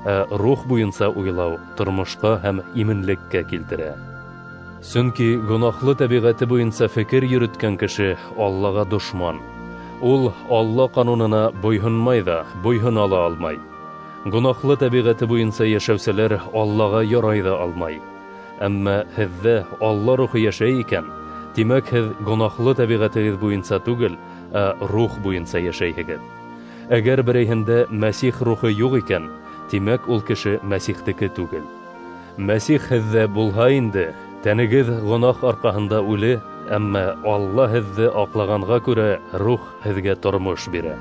ә рух буйынса уйлау тормошҡа һәм именлеккә килтерә. Сөнки гонаһлы тәбиғәте буйынса фекер йөрөткән кеше Аллаға дошман. Ул Алла ҡанунына буйһонмай ҙа, буйһона ла алмай. Гонаһлы тәбиғәте буйынса йәшәүселәр Аллаға ярай ҙа алмай. Әммә һеҙҙә Алла рухы йәшәй икән, тимәк һеҙ гонаһлы тәбиғәтегеҙ буйынса түгел, ә рух буйынса йәшәйһегеҙ. Әгәр берәйһендә Мәсих рухы юҡ икән, тимәк ул кеше Мәсихтеке түгел. Мәсих һеҙҙә булһа инде, тәнегеҙ гонаһ арҡаһында үле, әммә Алла һеҙҙе аҡлағанға күрә рух һеҙгә тормош бирә.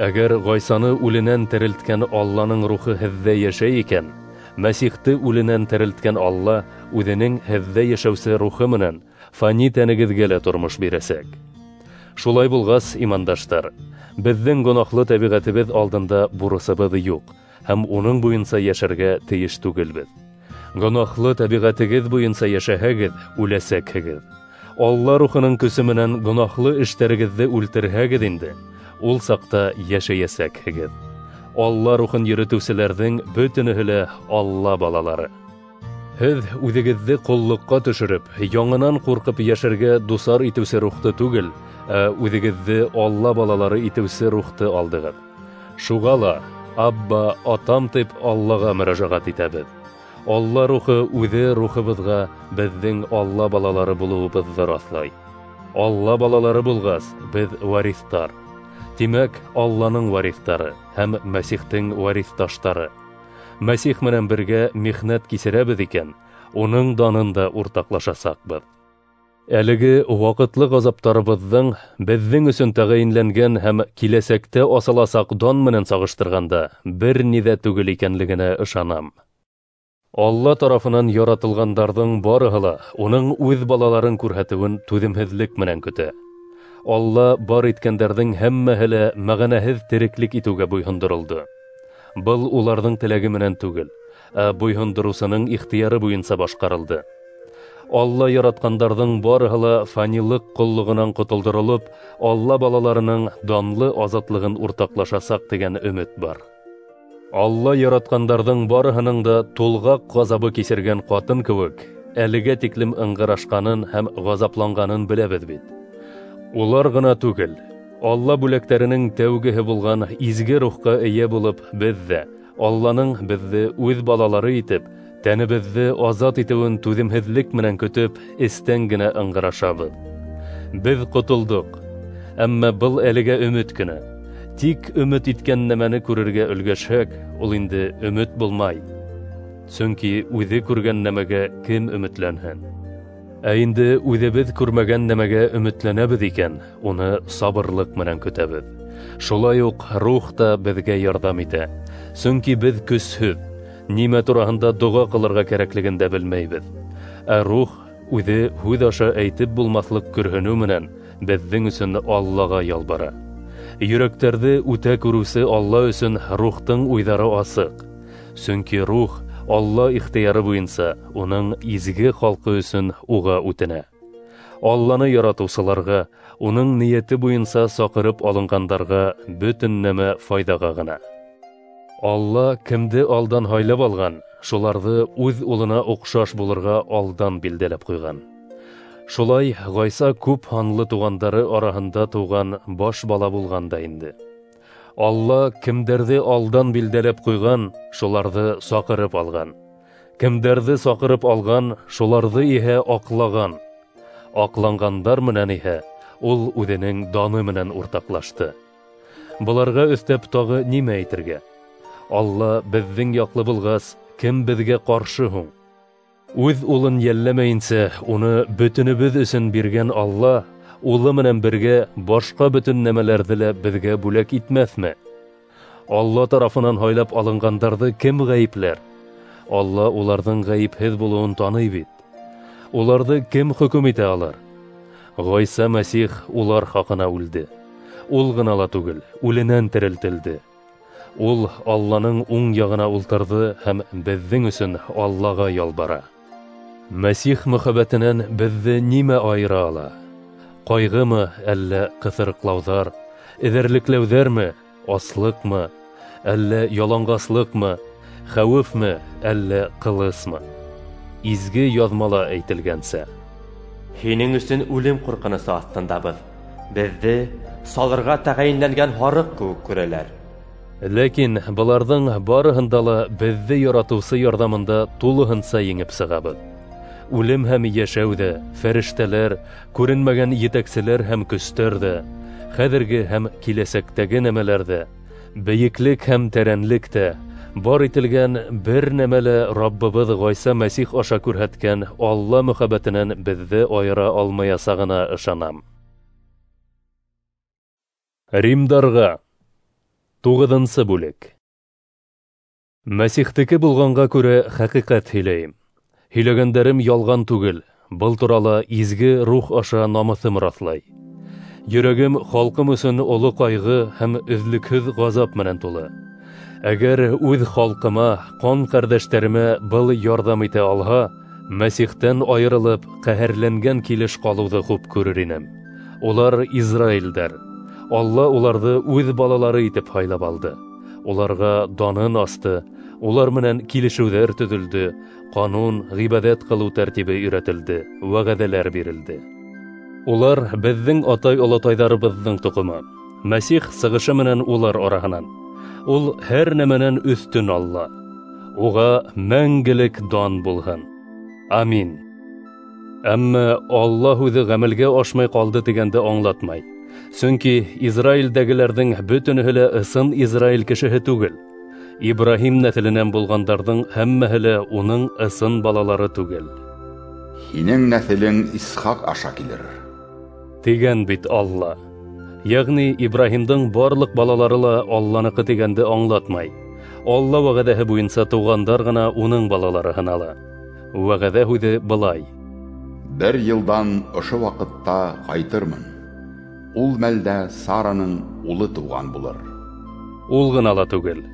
Әгәр Ғайсаны үленән терелткән Алланың рухы һеҙҙә йәшәй икән, Мәсихте үленән терелткән Алла үҙенең һеҙҙә йәшәүсе рухы менән фани тәнегеҙгә лә тормош бирәсәк. Шулай булғас, имандаштар, беҙҙең гонаһлы тәбиғәтебеҙ алдында бурысыбыҙ юҡ һәм уның буйынса йәшәргә тейеш түгелбеҙ. Гонаһлы тәбиғәтегеҙ буйынса йәшәһәгеҙ, үләсәкһегеҙ. Алла рухының көсө менән гонаһлы эштәрегеҙҙе үлтерһәгеҙ инде, ул саҡта йәшәйәсәкһегеҙ. Алла рухын йөрөтөүселәрҙең бөтөнөһө лә Алла балалары. Һеҙ үҙегеҙҙе ҡоллоҡҡа төшөрөп, яңынан ҡурҡып йәшәргә дусар итеүсе рухты түгел, ә үҙегеҙҙе Алла балалары итеүсе рухты алдығыҙ. Шуға ла Абба, атам тип Аллаға мөрәжәғәт итәбеҙ. Алла рухы үҙе рухыбыҙға беҙҙең Алла балалары булыуыбыҙҙы раҫлай. Алла балалары булғас, беҙ вариҫтар. Тимәк, Алланың вариҫтары һәм Мәсихтең вариҫташтары. Мәсих менән бергә михнәт кисерәбеҙ икән, уның данын да уртаҡлашасаҡбыҙ. Әлеге ваҡытлы ғазаптарыбыҙҙың беҙҙең өсөн тәғәйенләнгән һәм киләсәктә асыласаҡ дан менән сағыштырғанда бер ни ҙә түгел икәнлегенә ышанам. Алла тарафынан яратылғандарҙың барыһы ла уның үҙ балаларын күрһәтеүен түҙемһеҙлек менән көтә. Алла бар иткәндәрҙең һәммәһе лә мәғәнәһеҙ тереклек итеүгә буйһондоролдо. Был уларҙың теләге менән түгел, ә буйһондороусының ихтыяры буйынса башҡарылды. Алла яратҡандарҙың барыһы ла фанилыҡ ҡоллоғонан ҡотолдоролоп, Алла балаларының данлы азатлығын уртаҡлашасаҡ тигән өмөт бар. Алла яратҡандарҙың барыһының да тулғаҡ ғазабы кисергән ҡатын кеүек әлегә тиклем ыңғырашҡанын һәм ғазапланғанын беләбеҙ бит. Улар ғына түгел, Алла бүләктәренең тәүгеһе булған изге рухҡа эйә булып, беҙ ҙә Алланың беҙҙе үҙ балалары итеп, тәнебеҙҙе азат итеүен түҙемһеҙлек менән көтөп, эстән генә ыңғырашабыҙ. Беҙ ҡотолдоҡ, әммә был әлегә өмөт кенә. Тик өмөт иткән нәмәне күрергә өлгәшһәк, ул инде өмөт булмай. Сөнки үҙе күргән нәмәгә кем өмөтләнһен? Ә инде үҙебеҙ күрмәгән нәмәгә өмөтләнәбеҙ икән, уны сабырлыҡ менән көтәбеҙ. Шулай уҡ рух та беҙгә ярҙам итә. Сөнки беҙ көсһөҙ, нимә тураһында доға ҡылырға кәрәклеген дә белмәйбеҙ. Ә рух үҙе һүҙ аша әйтеп булмаҫлыҡ көрһөнөү менән беҙҙең өсөн Аллаға ялбара. Йөрәктәрҙе үтә күреүсе Алла өсөн рухтың уйҙары асыҡ. Сөнки рух Алла ихтыяры буйынса уның изге халҡы өсөн уға үтенә. Алланы яратыусыларға, уның ниәте буйынса саҡырып алынғандарға бөтөн нәмә файҙаға ғына. Алла кемде алдан һайлап алған, шуларҙы үҙ улына оҡшаш булырға алдан билдәләп ҡуйған. Шулай Ғайса күп һанлы туғандары араһында тыуған баш бала булған да инде. Алла кемдәрҙе алдан билдәләп ҡуйған, шуларҙы саҡырып алған. Кемдәрҙе саҡырып алған, шуларҙы иһә аҡлаған. Аҡланғандар менән иһә ул үҙенең даны менән уртаҡлашты. Быларға өҫтәп тағы нимә әйтергә? Алла беҙҙең яҡлы булғас, кем беҙгә ҡаршы һуң? Үҙ улын йәлләмәйенсә, уны бөтөнөбөҙ өсөн биргән Алла улы менән бергә башҡа бөтөн нәмәләрҙе лә беҙгә бүләк итмәҫме? Алла тарафынан һайлап алынғандарҙы кем ғәйепләр? Алла уларҙың ғәйепһеҙ булыуын таный бит. Уларҙы кем хөкөм итә алыр? Ғайса Мәсих улар хаҡына үлде. Ул ғына ла түгел, үленән терелтелде. Ул Алланың уң яғына ултырҙы һәм беҙҙең өсөн Аллаға ялбара. Мәсих мөхәббәтенән беҙҙе нимә айыра ала? Ҡайғымы, әллә ҡыҫырыҡлауҙар, эҙәрлекләүҙәрме, аслыҡмы, әллә яланғаслыҡмы, хәүефме, әллә ҡылысмы? Изге яҙмала әйтелгәнсә: Һинең өсөн үлем ҡурҡынысы аҫтындабыҙ, беҙҙе салырға тәғәйенләнгән һарыҡ кеүек күрәләр. Ләкин быларҙың барыһында ла беҙҙе яратыусы ярҙамында тулыһынса еңеп сығабыҙ. Үлем һәм йәшәү ҙә, фәрештәләр, күренмәгән етәкселәр һәм көстәр ҙә, хәҙерге һәм киләсәктәге нәмәләр ҙә, бейеклек һәм тәрәнлек тә, бар ителгән бер нәмә лә Раббыбыҙ Ғайса Мәсих аша күрһәткән Алла мөхәббәтенән беҙҙе айыра алмаясағына ышанам. Римдарға 9-нсы бүлек. Мәсихтеке булғанға күрә хәҡиҡәт һөйләйем. Һөйләгәндәрем ялған түгел, был турала изге рух аша намыҫым раҫлай. Йөрәгем халҡым өсөн оло ҡайғы һәм өҙлөкһөҙ ғазап менән тулы. Әгәр үҙ халҡыма, ҡан ҡәрҙәштәремә был ярҙам итә алһа, Мәсихтән айырылып, ҡәһәрләнгән килеш ҡалыуҙы хуп күрер инем. Улар Израилдәр. Алла уларҙы үҙ балалары итеп һайлап алды. Уларға данын асты, улар менән килешеүҙәр төҙөлдө, ҡанун, ғибәҙәт ҡылыу тәртибе өйрәтелде, вәғәҙәләр бирелде. Улар беҙҙең атай-олатайҙарыбыҙҙың тоҡомо. Мәсих сығышы менән улар араһынан. Ул һәр нәмәнән өҫтөн Алла. Уға мәңгелек дан булһын. Амин. Әммә Алла һүҙе ғәмәлгә ашмай ҡалды тигәнде аңлатмай. Сөнки Израилдәгеләрҙең бөтөнөһө лә ысын Израил кешеһе түгел. Ибраһим нәҫеленән булғандарҙың һәммәһе лә уның ысын балалары түгел. Һинең нәҫелең Исхаҡ аша килер, тигән бит Алла. Йәғни Ибраһимдың барлыҡ балалары ла Алланыҡы тигәнде аңлатмай. Алла вәғәҙәһе буйынса тыуғандар ғына уның балалары һанала. Вәғәҙә һүҙе былай: Бер йылдан ошо ваҡытта ҡайтырмын. Ул мәлдә Сараның улы тыуған булыр. Ул ғына ла түгел.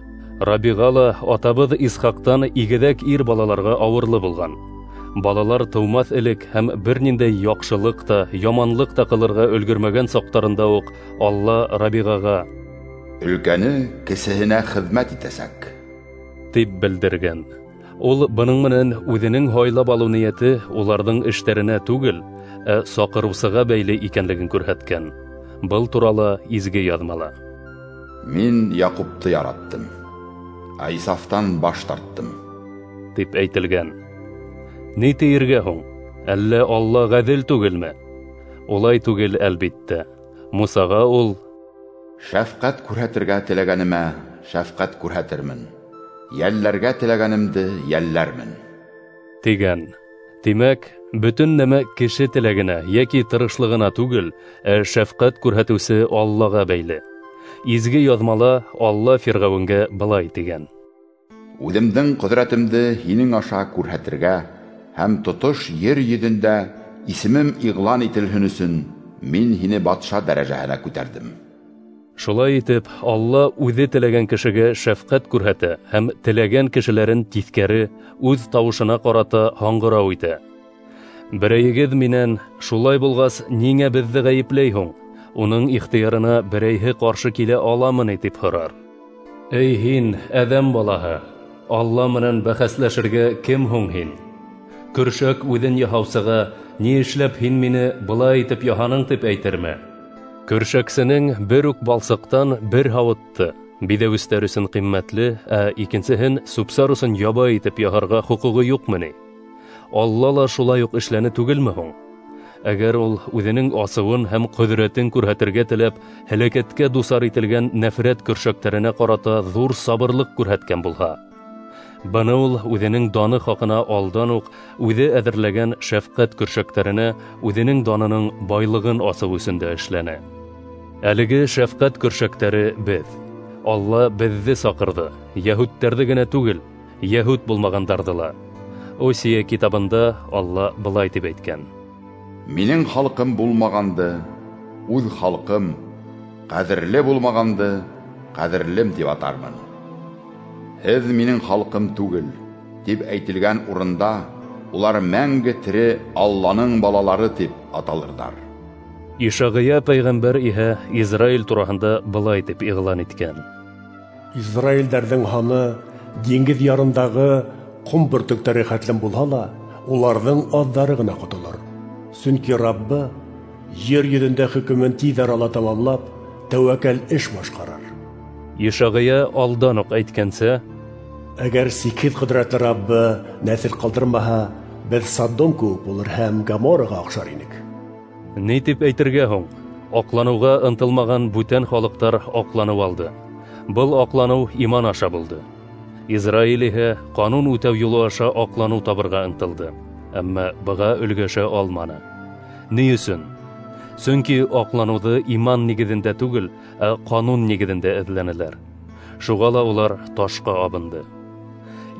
Рабиға ла атабыҙ Исхаҡтан игеҙәк ир балаларға ауырлы булған. Балалар тыумаҫ элек һәм бер ниндәй яҡшылыҡ та, яманлыҡ та ҡылырға өлгөрмәгән саҡтарында уҡ Алла Рабиғаға: Өлкәне кесеһенә хеҙмәт итәсәк, тип белдергән. Ул бының менән үҙенең һайлап алыу ниәте уларҙың эштәренә түгел, ә саҡырыусыға бәйле икәнлеген күрһәткән. Был турала изге яҙмала: Мин Яҡупты яраттым, ә Исафтан баш тарттым, тип әйтелгән. Ни тиергә һуң? Әллә Алла ғәҙел түгелме? Улай түгел, әлбиттә. Мусаға ул: Шәфҡәт күрһәтергә теләгәнемә шәфҡәт күрһәтермен, йәлләргә теләгәнемде йәлләрмен, тигән. Тимәк, бөтөн нәмә кеше теләгенә йәки тырышлығына түгел, ә шәфҡәт күрһәтеүсе Аллаға бәйле. Изге яҙмала Алла Фирғәүенгә былай тигән: Үҙемдең ҡөҙрәтемде һинең аша күрһәтергә һәм тотош ер йөҙөндә исемем иғлан ителһен өсөн мин һине батша дәрәжәһенә күтәрҙем. Шулай итеп, Алла үҙе теләгән кешегә шәфҡәт күрһәтә һәм теләгән кешеләрен тиҫкәре, үҙ тауышына ҡарата һаңғырау итә. Берәйегеҙ минән: шулай булғас, ниңә беҙҙе ғәйепләй һуң? Уның ихтыярына берәйһе ҡаршы килә аламы ни, тип һорар. Эй һин, әҙәм балаһы, Алла менән бәхәсләшергә кем һуң һин? Көршәк үҙен яһаусыға: ни эшләп һин мине былай итеп яһаның, тип әйтерме? Көршәксенең бер үк балсыҡтан бер һауытты биҙәүестәр өсөн ҡиммәтле, ә икенсеһен сүп-сар өсөн ябай итеп яһарға хоҡуғы юҡмы ни? Алла ла шулай уҡ эшләне түгелме һуң? Әгәр ул үҙенең асыуын һәм ҡөҙрәтен күрһәтергә теләп, һәләкәткә дусар ителгән нәфрәт көршәктәренә ҡарата ҙур сабырлыҡ күрһәткән булһа, быны ул үҙенең даны хаҡына алдан уҡ үҙе әҙерләгән шәфҡәт көршәктәренә үҙенең данының байлығын асыу өсөн дә эшләне. Әлеге шәфҡәт көршәктәре беҙ. Алла беҙҙе саҡырҙы, йәһүдтәрҙе генә түгел, йәһүд булмағандарҙы ла. Осия китабында Алла былай тип әйткән: Минең халҡым булмағанды, үҙ халҡым, ҡәҙерле булмағанды, ҡәҙерлем тип атармын. Һеҙ минең халҡым түгел, тип әйтелгән урында улар мәңге тере Алланың балалары тип аталырҙар. Ишағия пәйғәмбәр иһә Израиль тураһында былай тип иғлан иткән: Израилдәрҙең һаны диңгеҙ ярындағы ҡом бөртөктәре хәтлем булһа ла, уларҙың аҙҙары ғына ҡотолор. Сөнки Раббы ер йөҙөндә хөкөмөн тиҙ арала тамамлап, тәүәккәл эш башҡарыр. Ишағия алдан уҡ әйткәнсә, әгәр сикһеҙ ҡөҙрәтле Раббы нәҫел ҡалдырмаһа, беҙ Содом кеүек булыр һәм Гомораға оҡшар инек. Ни тип әйтергә һуң? Аҡланыуға ынтылмаған бүтән халыҡтар аҡланыу алды. Был аҡланыу иман аша булды. Израиль иһә ҡанун үтәү юлы аша аҡланыу табырға ынтылды, әммә быға өлгәшә алманы. Ни өсөн? Сөнки аҡланыуҙы иман нигеҙендә түгел, ә ҡанун нигеҙендә эҙләнеләр. Шуға ла улар ташҡа абынды.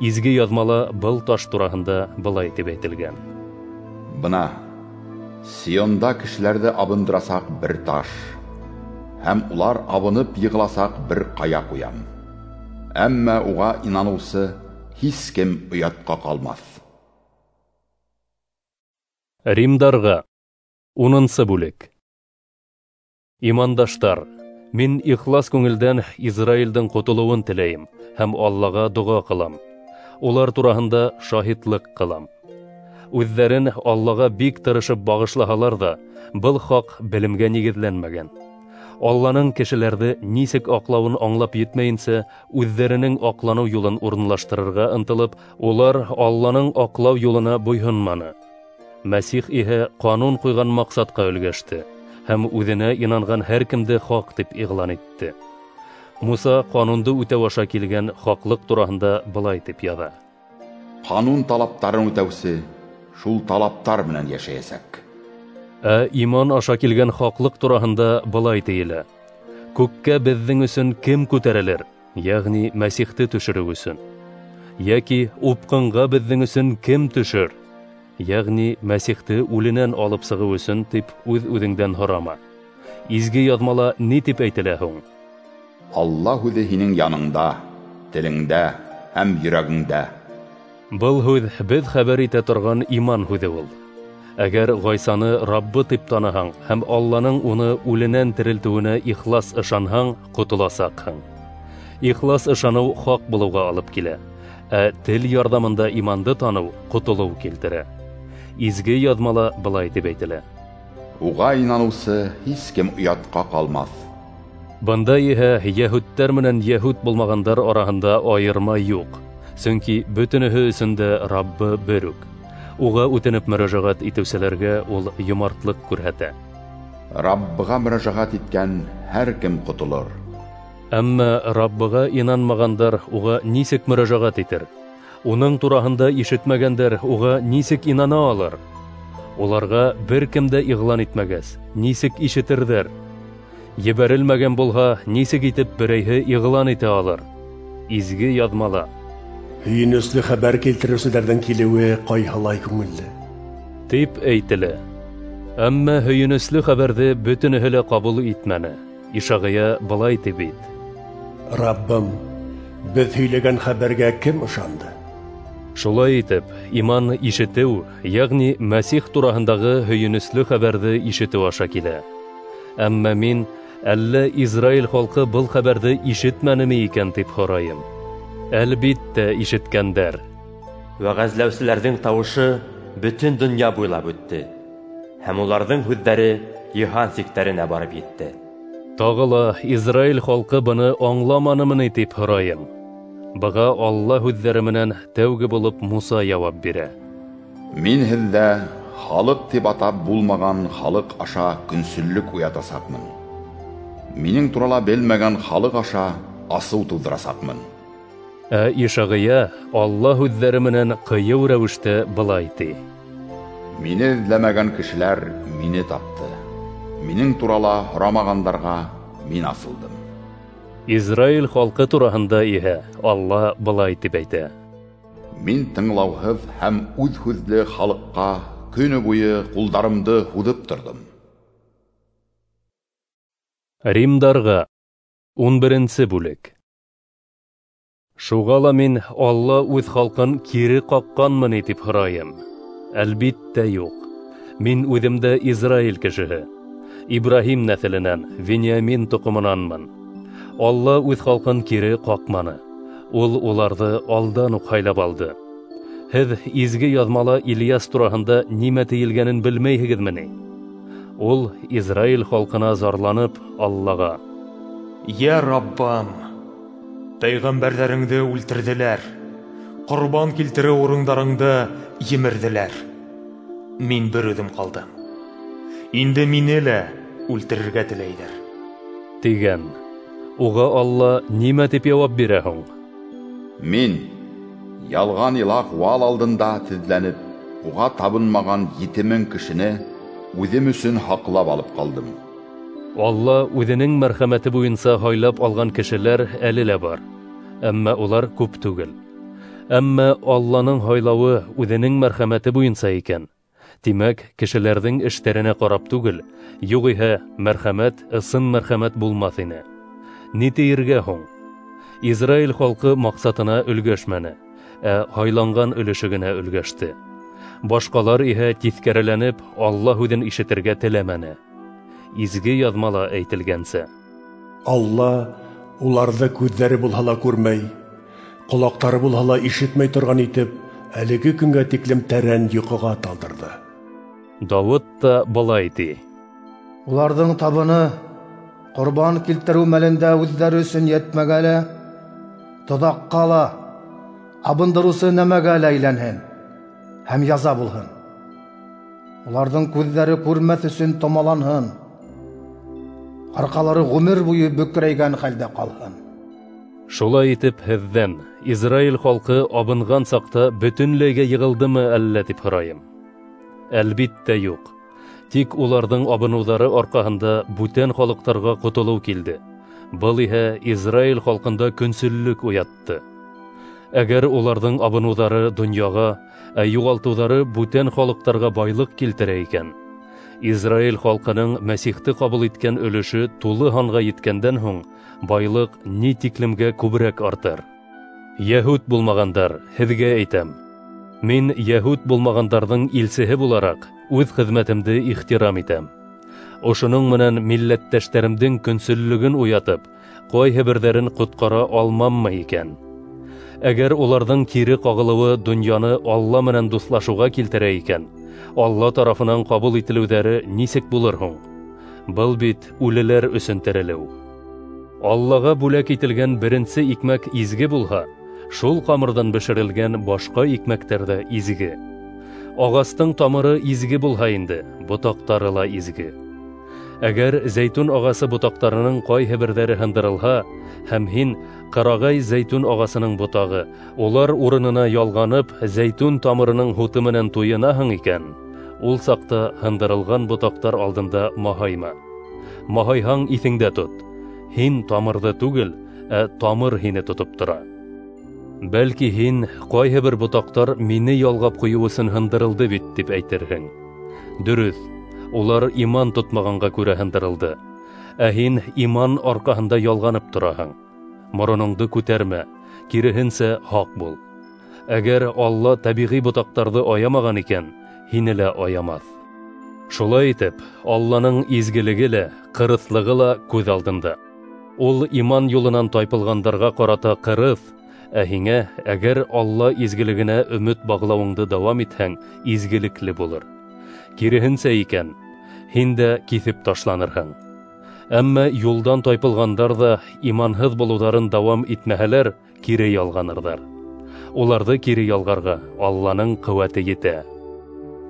Изге яҙмала был таш тураһында былай тип әйтелгән: Бына Сионда кешеләрҙе абындырасаҡ бер таш, һәм улар абынып йығыласаҡ бер ҡая ҡуям. Әммә уға инаныусы һис кем оятҡа ҡалмаҫ. Римдарға 10-нсы бүлек. Имандаштар, мин ихлас күңелдән Израилдең ҡотолоуын теләйем һәм Аллаға доға ҡылам. Улар тураһында шаһитлыҡ ҡылам. Үҙҙәрен Аллаға бик тырышып бағышлаһалар ҙа, был хаҡ белемгә нигеҙләнмәгән. Алланың кешеләрҙе нисек аҡлауын аңлап етмәйенсә, үҙҙәренең аҡланыу юлын урынлаштырырға ынтылып, улар Алланың аҡлау юлына буйһонманы. Мәсих иһә ҡанун ҡуйған маҡсатҡа өлгәште һәм үҙенә инанған һәр кемде хаҡ тип иғлан итте. Муса ҡанунды үтәү аша килгән хаҡлыҡ тураһында былай тип яҙа: Ҡанун талаптарын үтәүсе шул талаптар менән йәшәйәсәк. Ә иман аша килгән хаҡлыҡ тураһында былай тейелә: Күккә беҙҙең өсөн кем күтәрелер, йәғни Мәсихте төшөрөү өсөн? Йәки упҡынға беҙҙең өсөн кем төшөр, йәғни Мәсихте үленән алып сығыу өсөн, тип үҙ-үҙеңдән һорама. Изге яҙмала ни тип әйтелә һуң? Алла һүҙе һинең яныңда, телеңдә һәм йөрәгеңдә. Был һүҙ беҙ хәбәр итә торған иман һүҙе ул. Әгәр Ғайсаны Раббы тип таныһаң һәм Алланың уны үленән терелтеүенә ихлас ышанһаң, ҡотоласаҡһың. Ихлас ышаныу хаҡ булыуға алып килә, ә тел ярҙамында иманды таныу ҡотолоу килтерә. Изге яҙмала былай тип әйтелә: Уға инаныусы һис кем оятҡа ҡалмаҫ. Бында иһә йәһүдтәр менән йәһүд булмағандар араһында айырма юҡ, сөнки бөтөнөһө өсөн дә Раббы бер үк. Уға үтенеп мөрәжәғәт итеүселәргә ул йомартлыҡ күрһәтә. Раббыға мөрәжәғәт иткән һәр кем ҡотолор. Әммә Раббыға инанмағандар уға нисек мөрәжәғәт итер? Уның тураһында ишетмәгәндәр уға нисек инана алыр? Уларға бер кем дә иғлан итмәгәс, нисек ишетерҙәр? Ебәрелмәгән булһа, нисек итеп берәйһе иғлан итә алыр? Изге яҙмала: Һөйөнөслө хәбәр килтереүселәрҙең килеүе ҡайһылай күңелле, тип әйтелә. Әммә һөйөнөслө хәбәрҙе бөтөнөһө лә ҡабул итмәне. Ишағия былай тип бит: Раббым, беҙ һөйләгән хәбәргә кем ышанды? Шулай итеп, иман ишетеү, йәғни Мәсих тураһындағы һөйөнөслө хәбәрҙе ишетеү аша килә. Әммә мин, әллә Израиль халҡы был хәбәрҙе ишетмәнеме икән тип һорайым. Әлбиттә ишеткәндәр. Вәғәзләүселәрҙең тауышы бөтөн донъя буйлап үтте, һәм уларҙың һүҙҙәре йыһан сиктәренә барып етте. Тағы ла Израиль халҡы быны аңламанымы ни тип һорайым. Быға Алла һүҙҙәре менән тәүге булып Муса яуап бирә. Мин һеҙҙә халыҡ тип атап булмаған халыҡ аша көнсөллөк уятасаҡмын. Минең турала белмәгән халыҡ аша асыу тыуҙырасаҡмын. Ә Ишағия Алла һүҙҙәре менән ҡыйыу рәүештә былай ти: Мине эҙләмәгән кешеләр мине тапты. Минең турала һорамағандарға мин асылдым. Израиль халҡы тураһында иһә Алла былай тип әйтә: Мин тыңлауһыҙ һәм үҙ һүҙле халыҡҡа көнө буйы ҡулдарымды һуҙып торҙом. Римдарға 11-нсе бүлек. Шуға ла мин Алла үҙ халҡын кире ҡаҡҡанмы ни тип һорайым. Әлбиттә юҡ. Мин үҙем дә Израиль кешеһе, Ибраһим нәҫеленән, Вениамин тоҡомонанмын. Алла үҙ халҡын кире ҡаҡманы. Ул уларҙы алдан уҡ һайлап алды. Һеҙ изге яҙмала Ильяс тураһында нимә тейелгәнен белмәйһегеҙме ни? Ул Израиль халҡына зарланып Аллаға: Йә Раббам, пәйғәмбәрҙәреңде үлтерҙеләр, ҡорбан килтереү урындарыңды емерҙеләр. Мин бер үҙем ҡалдым. Инде мине лә үлтерергә теләйҙәр, тигән. Уға Алла нимә тип яуап бирә һуң? Мин ялған илаһ Ваал алдында теҙләнеп, уға табынмаған 7000 кешене үҙем өсөн һаҡлап алып ҡалдым. Алла үҙенең мәрхәмәте буйынса һайлап алған кешеләр әле лә бар, әммә улар күп түгел. Әммә Алланың һайлауы үҙенең мәрхәмәте буйынса икән, тимәк, кешеләрҙең эштәренә ҡарап түгел, юғиһә мәрхәмәт ысын мәрхәмәт булмаҫ ине. Ни тиергә һуң? Израиль халҡы маҡсатына өлгәшмәне, ә һайланған өлөшө генә өлгәште. Башҡалар иһә тиҫкәреләнеп Алла һүҙен ишетергә теләмәне. Изге яҙмала әйтелгәнсә: Алла уларҙы күҙҙәре булһа ла күрмәй, ҡолаҡтары булһа ла ишетмәй торған итеп, әлеге көнгә тиклем тәрән йоҡоға талдырҙы. Дауыт та былай ти: Уларҙың табыны ҡорбан килтереү мәлендә үҙҙәре өсөн йәтмәгә лә, тоҙаҡҡа ла, абындырыусы нәмәгә лә әйләнһен һәм яза булһын. Уларҙың күҙҙәре күрмәҫ өсөн томаланһын, арҡалары ғүмер буйы бөкрәйгән хәлдә ҡалһын. Шулай итеп, һеҙҙән Израиль халҡы абынған саҡта бөтөнләйгә йығылдымы әллә тип һорайым. Әлбиттә юҡ. Тик уларҙың абыныуҙары арҡаһында бүтән халыҡтарға ҡотолоу килде. Был иһә Израиль халҡында көнсөллөк уятты. Әгәр уларҙың абыныуҙары донъяға, ә юғалтыуҙары бүтән халыҡтарға байлыҡ килтерә икән, Израиль халҡының Мәсихте ҡабул иткән өлөшө тулы һанға еткәндән һуң байлыҡ ни тиклемгә күберәк артыр. Йәһүд булмағандар, һеҙгә әйтәм: мин йәһүд булмағандарҙың илсеһе булараҡ үҙ хеҙмәтемде ихтирам итәм. Ошоноң менән милләттәштәремдең көнсөллөгөн уятып, ҡайһы берҙәрен ҡотҡара алмаммы икән? Әгәр уларҙың кире ҡағылыуы донъяны Алла менән дуҫлашыуға килтерә икән, Алла тарафынан ҡабул ителеүҙәре нисек булыр һуң? Был бит үлеләр өсөн терелеү. Аллаға бүләк ителгән беренсе икмәк изге булһа, шул ҡамырҙан бешерелгән башҡа икмәктәр ҙә изге. Ағастың тамыры изге булһа инде, ботаҡтары ла изге. Әгәр зәйтүн ағасы ботаҡтарының ҡайһы берҙәре һындырылһа, һәм һин ҡырағай зәйтүн ағасының ботағы, улар урынына ялғанып, зәйтүн тамырының һуты менән туйынаһың икән, ул саҡта һындырылған ботаҡтар алдында маһайма. Маһайһаң, иҫеңдә тот: һин тамырҙы түгел, ә тамыр һине тотоп тора. Бәлки һин ҡайһы бер ботаҡтар мине ялғап ҡуйыу өсөн һындырылды бит тип әйтерһең. Дөрөҫ, улар иман тотмағанға күрә һындырылды. Ә һин иман арҡаһында ялғанып тораһың. Мороноңдо күтәрмә, киреһенсә һаҡ бул. Әгәр Алла тәбиғи ботаҡтарҙы аямаған икән, һине лә аямаҫ. Шулай итеп, Алланың изгелеге лә, ҡырыҫлығы ла күҙ алдында. Ул иман юлынан тайпылғандарға ҡарата ҡырыҫ, ә һиңә, әгәр Алла изгелегенә өмөт бағлауыңды дауам итһәң, изгелекле булыр. Киреһенсә икән, һин дә киҫеп ташланырһың. Әммә юлдан тайпылғандар ҙа иманһыҙ булыуҙарын дауам итмәһәләр, кире ялғанырҙар. Уларҙы кире ялғарға Алланың ҡеүәте етә.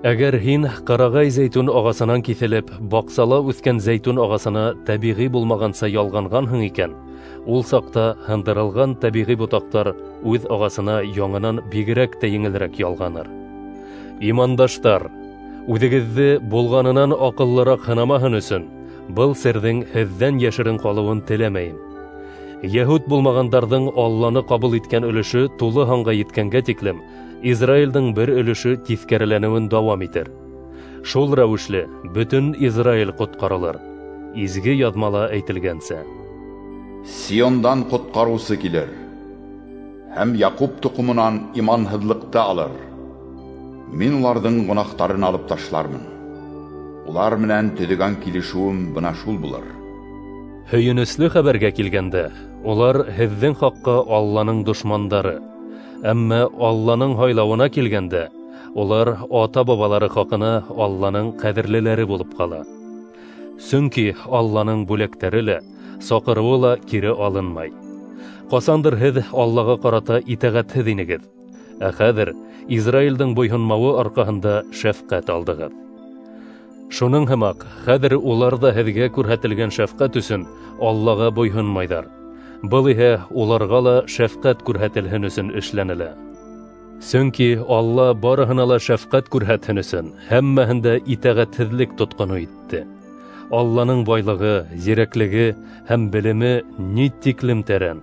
Әгәр һин ҡарағай зәйтүн ағасынан киҫелеп, баҡсала үҫкән зәйтүн ағасына тәбиғи булмағанса ялғанғанһың икән, ул саҡта һындырылған тәбиғи ботаҡтар үҙ ағасына яңынан бигерәк тә еңелерәк ялғаныр. Имандаштар, үҙегеҙҙе булғанынан аҡыллыраҡ һынамаһын өсөн, был серҙең һеҙҙән йәшерен ҡалыуын теләмәйем. Йәһүд булмағандарҙың Алланы ҡабул иткән өлөшө тулы һанға еткәнгә тиклем, Израилдең бер өлөшө тиҫкәреләнеүен дауам итер. Шул рәүешле бөтөн Израиль ҡотҡарылыр. Изге яҙмала әйтелгәнсә: Сиондан ҡотҡарыусы килер, һәм Яҡуп тоҡомонан иманһыҙлыҡты алыр. Мин уларҙың гонаһтарын алып ташлармын. Улар менән төҙөгән килешеүем бына шул булыр. Һөйөнөслө хәбәргә килгәндә, улар һеҙҙең хаҡҡа Алланың дошмандары. Әммә Алланың һайлауына килгәндә, улар ата-бабалары хаҡына Алланың ҡәҙерлеләре булып ҡала. Сөнки Алланың бүләктәре лә, саҡырыуы ла кире алынмай. Ҡасандыр һеҙ Аллаға ҡарата итәғәтһеҙ инегеҙ, ә хәҙер Израилдең буйһонмауы арҡаһында шәфҡәт алдығыҙ. Шуның һымаҡ, хәҙер улар ҙа һеҙгә күрһәтелгән шәфҡәт өсөн Аллаға буйһонмайҙар. Был иһә уларға ла шәфҡәт күрһәтелһен өсөн эшләнелә. Сөнки Алла барыһына ла шәфҡәт күрһәтһен өсөн һәммәһен дә итәғәтһеҙлек тотҡоно итте. Алланың байлығы, зирәклеге һәм белеме ни тиклем тәрән.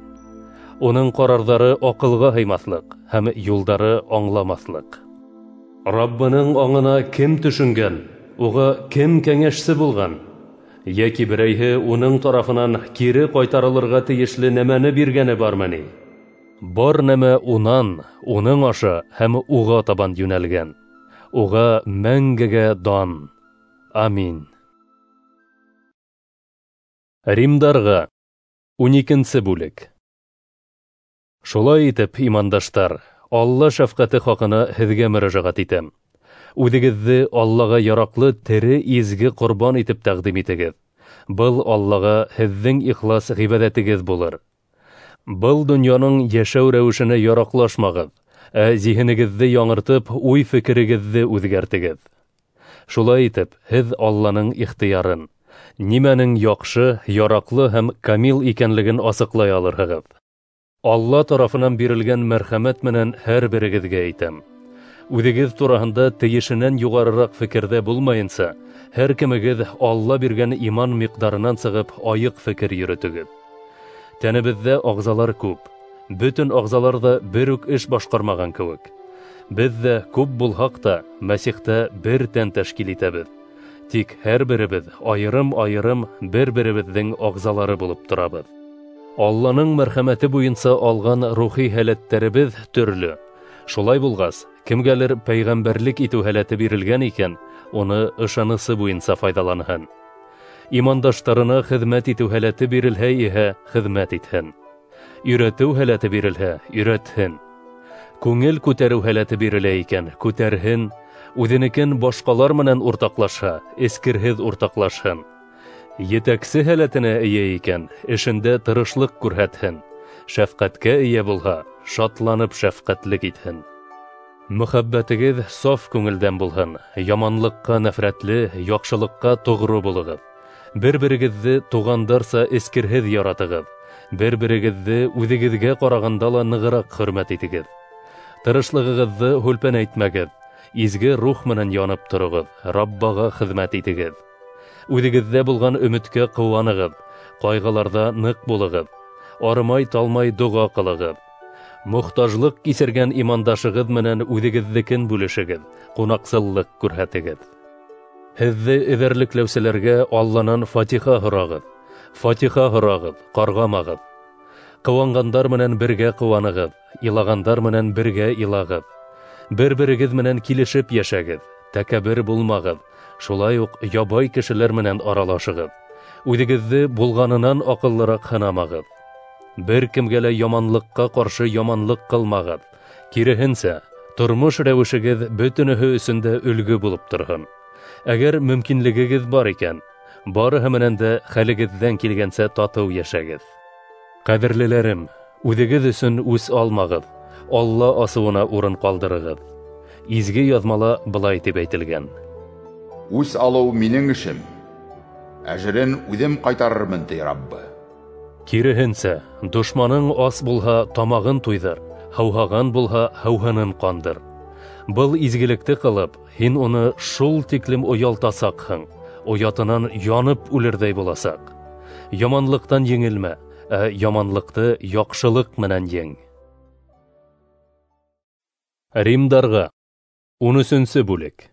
Уның ҡарарҙары аҡылға һыймаҫлыҡ һәм юлдары аңламаҫлыҡ. Раббының аңына кем төшөнгән, уға кем кәңәшсе булған? Йәки берәйһе уның тарафынан кире ҡайтарылырға тейешле нәмәне биргәне бармы ни? Бар нәмә унан, уның аша һәм уға табан йүнәлгән. Уға мәңгегә дан. Амин. Римдарға 12 бүлек. Шулай итеп, имандаштар, Алла шәфҡәте хаҡына һеҙгә мөрәжәғәт итәм. Үҙегеҙҙе Аллаға яраҡлы тере изге ҡорбан итеп тәҡдим итегеҙ. Был Аллаға һеҙҙең ихлас ғибәҙәтегеҙ булыр. Был донъяның йәшәү рәүешенә яраҡлашмағыҙ, ә зиһенегеҙҙе яңыртып, уй-фекерегеҙҙе үҙгәртегеҙ. Шулай итеп, һеҙ Алланың ихтыярын, нимәнең яҡшы, яраҡлы һәм камил икәнлеген асыҡлай алырһығыҙ. Алла тарафынан бирелгән мәрхәмәт менән һәр берегеҙгә әйтәм. Үҙегеҙ тураһында тейешенән юғарыраҡ фекерҙә булмайынса, һәр кемегеҙ Алла биргән иман миҡдарынан сығып айыҡ фекер йөрөтөгөҙ. Тәнебеҙҙә ағзалар күп, бөтөн ағзалар ҙа бер үк эш башҡармаған кеүек. Беҙ ҙә күп булһаҡ та Мәсихтә бер тән тәшкил итәбеҙ. Тик һәр беребеҙ айырым-айырым бер-беребеҙҙең ағзалары булып торабыҙ. Алланың мәрхәмәте буйынса алған рухи һәләттәребеҙ төрлө. Шулай булғас, кемгәлер пәйғәмбәрлек итеү һәләте бирелгән икән, уны ышанысы буйынса файҙаланһын. Имандаштарына хеҙмәт итеү һәләте бирелһә иһә, хеҙмәт итһен. Өйрәтеү һәләте бирелһә, өйрәтһен. Күңел күтәреү һәләте бирелә икән, күтәрһен. Үҙенекен башҡалар менән уртаҡлашһа, эскерһеҙ уртаҡлашһын. Етәксе һәләтенә эйә икән, эшендә тырышлыҡ күрһәтһен. Шәфҡәткә эйә булһа, шатланып шәфҡәтлек итһен. Мөхәббәтегеҙ саф күңелдән булһын, яманлыҡҡа нәфрәтле, яҡшылыҡҡа тоғро булығыҙ. Бер-берегеҙҙе туғандарса эскерһеҙ яратығыҙ. Бер-берегеҙҙе үҙегеҙгә ҡарағанда ла нығыраҡ хөрмәт итегеҙ. Тырышлығығыҙҙы һүлпәнәйтмәгеҙ, изге рух менән янып тороғоҙ, Раббаға хеҙмәт итегеҙ. Үҙегеҙҙә булған өмөткә ҡыуанығыҙ, ҡайғыларҙа ныҡ булығыҙ, арымай-талмай доға ҡылығыҙ. Мохтажлыҡ кисергән имандашығыҙ менән үҙегеҙҙекен бүлешегеҙ, ҡунаҡсыллыҡ күрһәтегеҙ. Һеҙҙе эҙәрлекләүселәргә Алланан фатиха һорағыҙ, фатиха һорағыҙ, ҡарғамағыҙ. Ҡыуанғандар менән бергә ҡыуанығыҙ, илағандар менән бергә илағыҙ. Бер-берегеҙ менән килешеп йәшәгеҙ, тәкәббер булмағыҙ, шулай уҡ ябай кешеләр менән аралашығыҙ. Үҙегеҙҙе булғанынан аҡыллыраҡ һынамағыҙ. Бер кемгә лә яманлыҡҡа ҡаршы яманлыҡ ҡылмағыҙ. Киреһенсә, тормош рәүешегеҙ бөтөнөһө өсөн дә өлгө булып торһон. Әгәр мөмкинлегегеҙ бар икән, барыһы менән дә хәлегеҙҙән килгәнсә татыу йәшәгеҙ. Ҡәҙерлеләрем, үҙегеҙ өсөн үс алмағыҙ, Алла асыуына урын ҡалдырығыҙ. Изге яҙмала былай тип әйтелгән: Үс алыу минең эшем, әжерен үҙем ҡайтарырмын, ти Раббы. Киреһенсә, дошманың ас булһа, тамағын туйҙыр, һыуһаған булһа, һыуһынын ҡандыр. Был изгелекте ҡылып, һин уны шул тиклем оялтасаҡһың, оятынан янып үлерҙәй буласаҡ. Яманлыҡтан еңелмә, ә яманлыҡты яҡшылыҡ менән ең. Римдарға 13-нсе бүлек.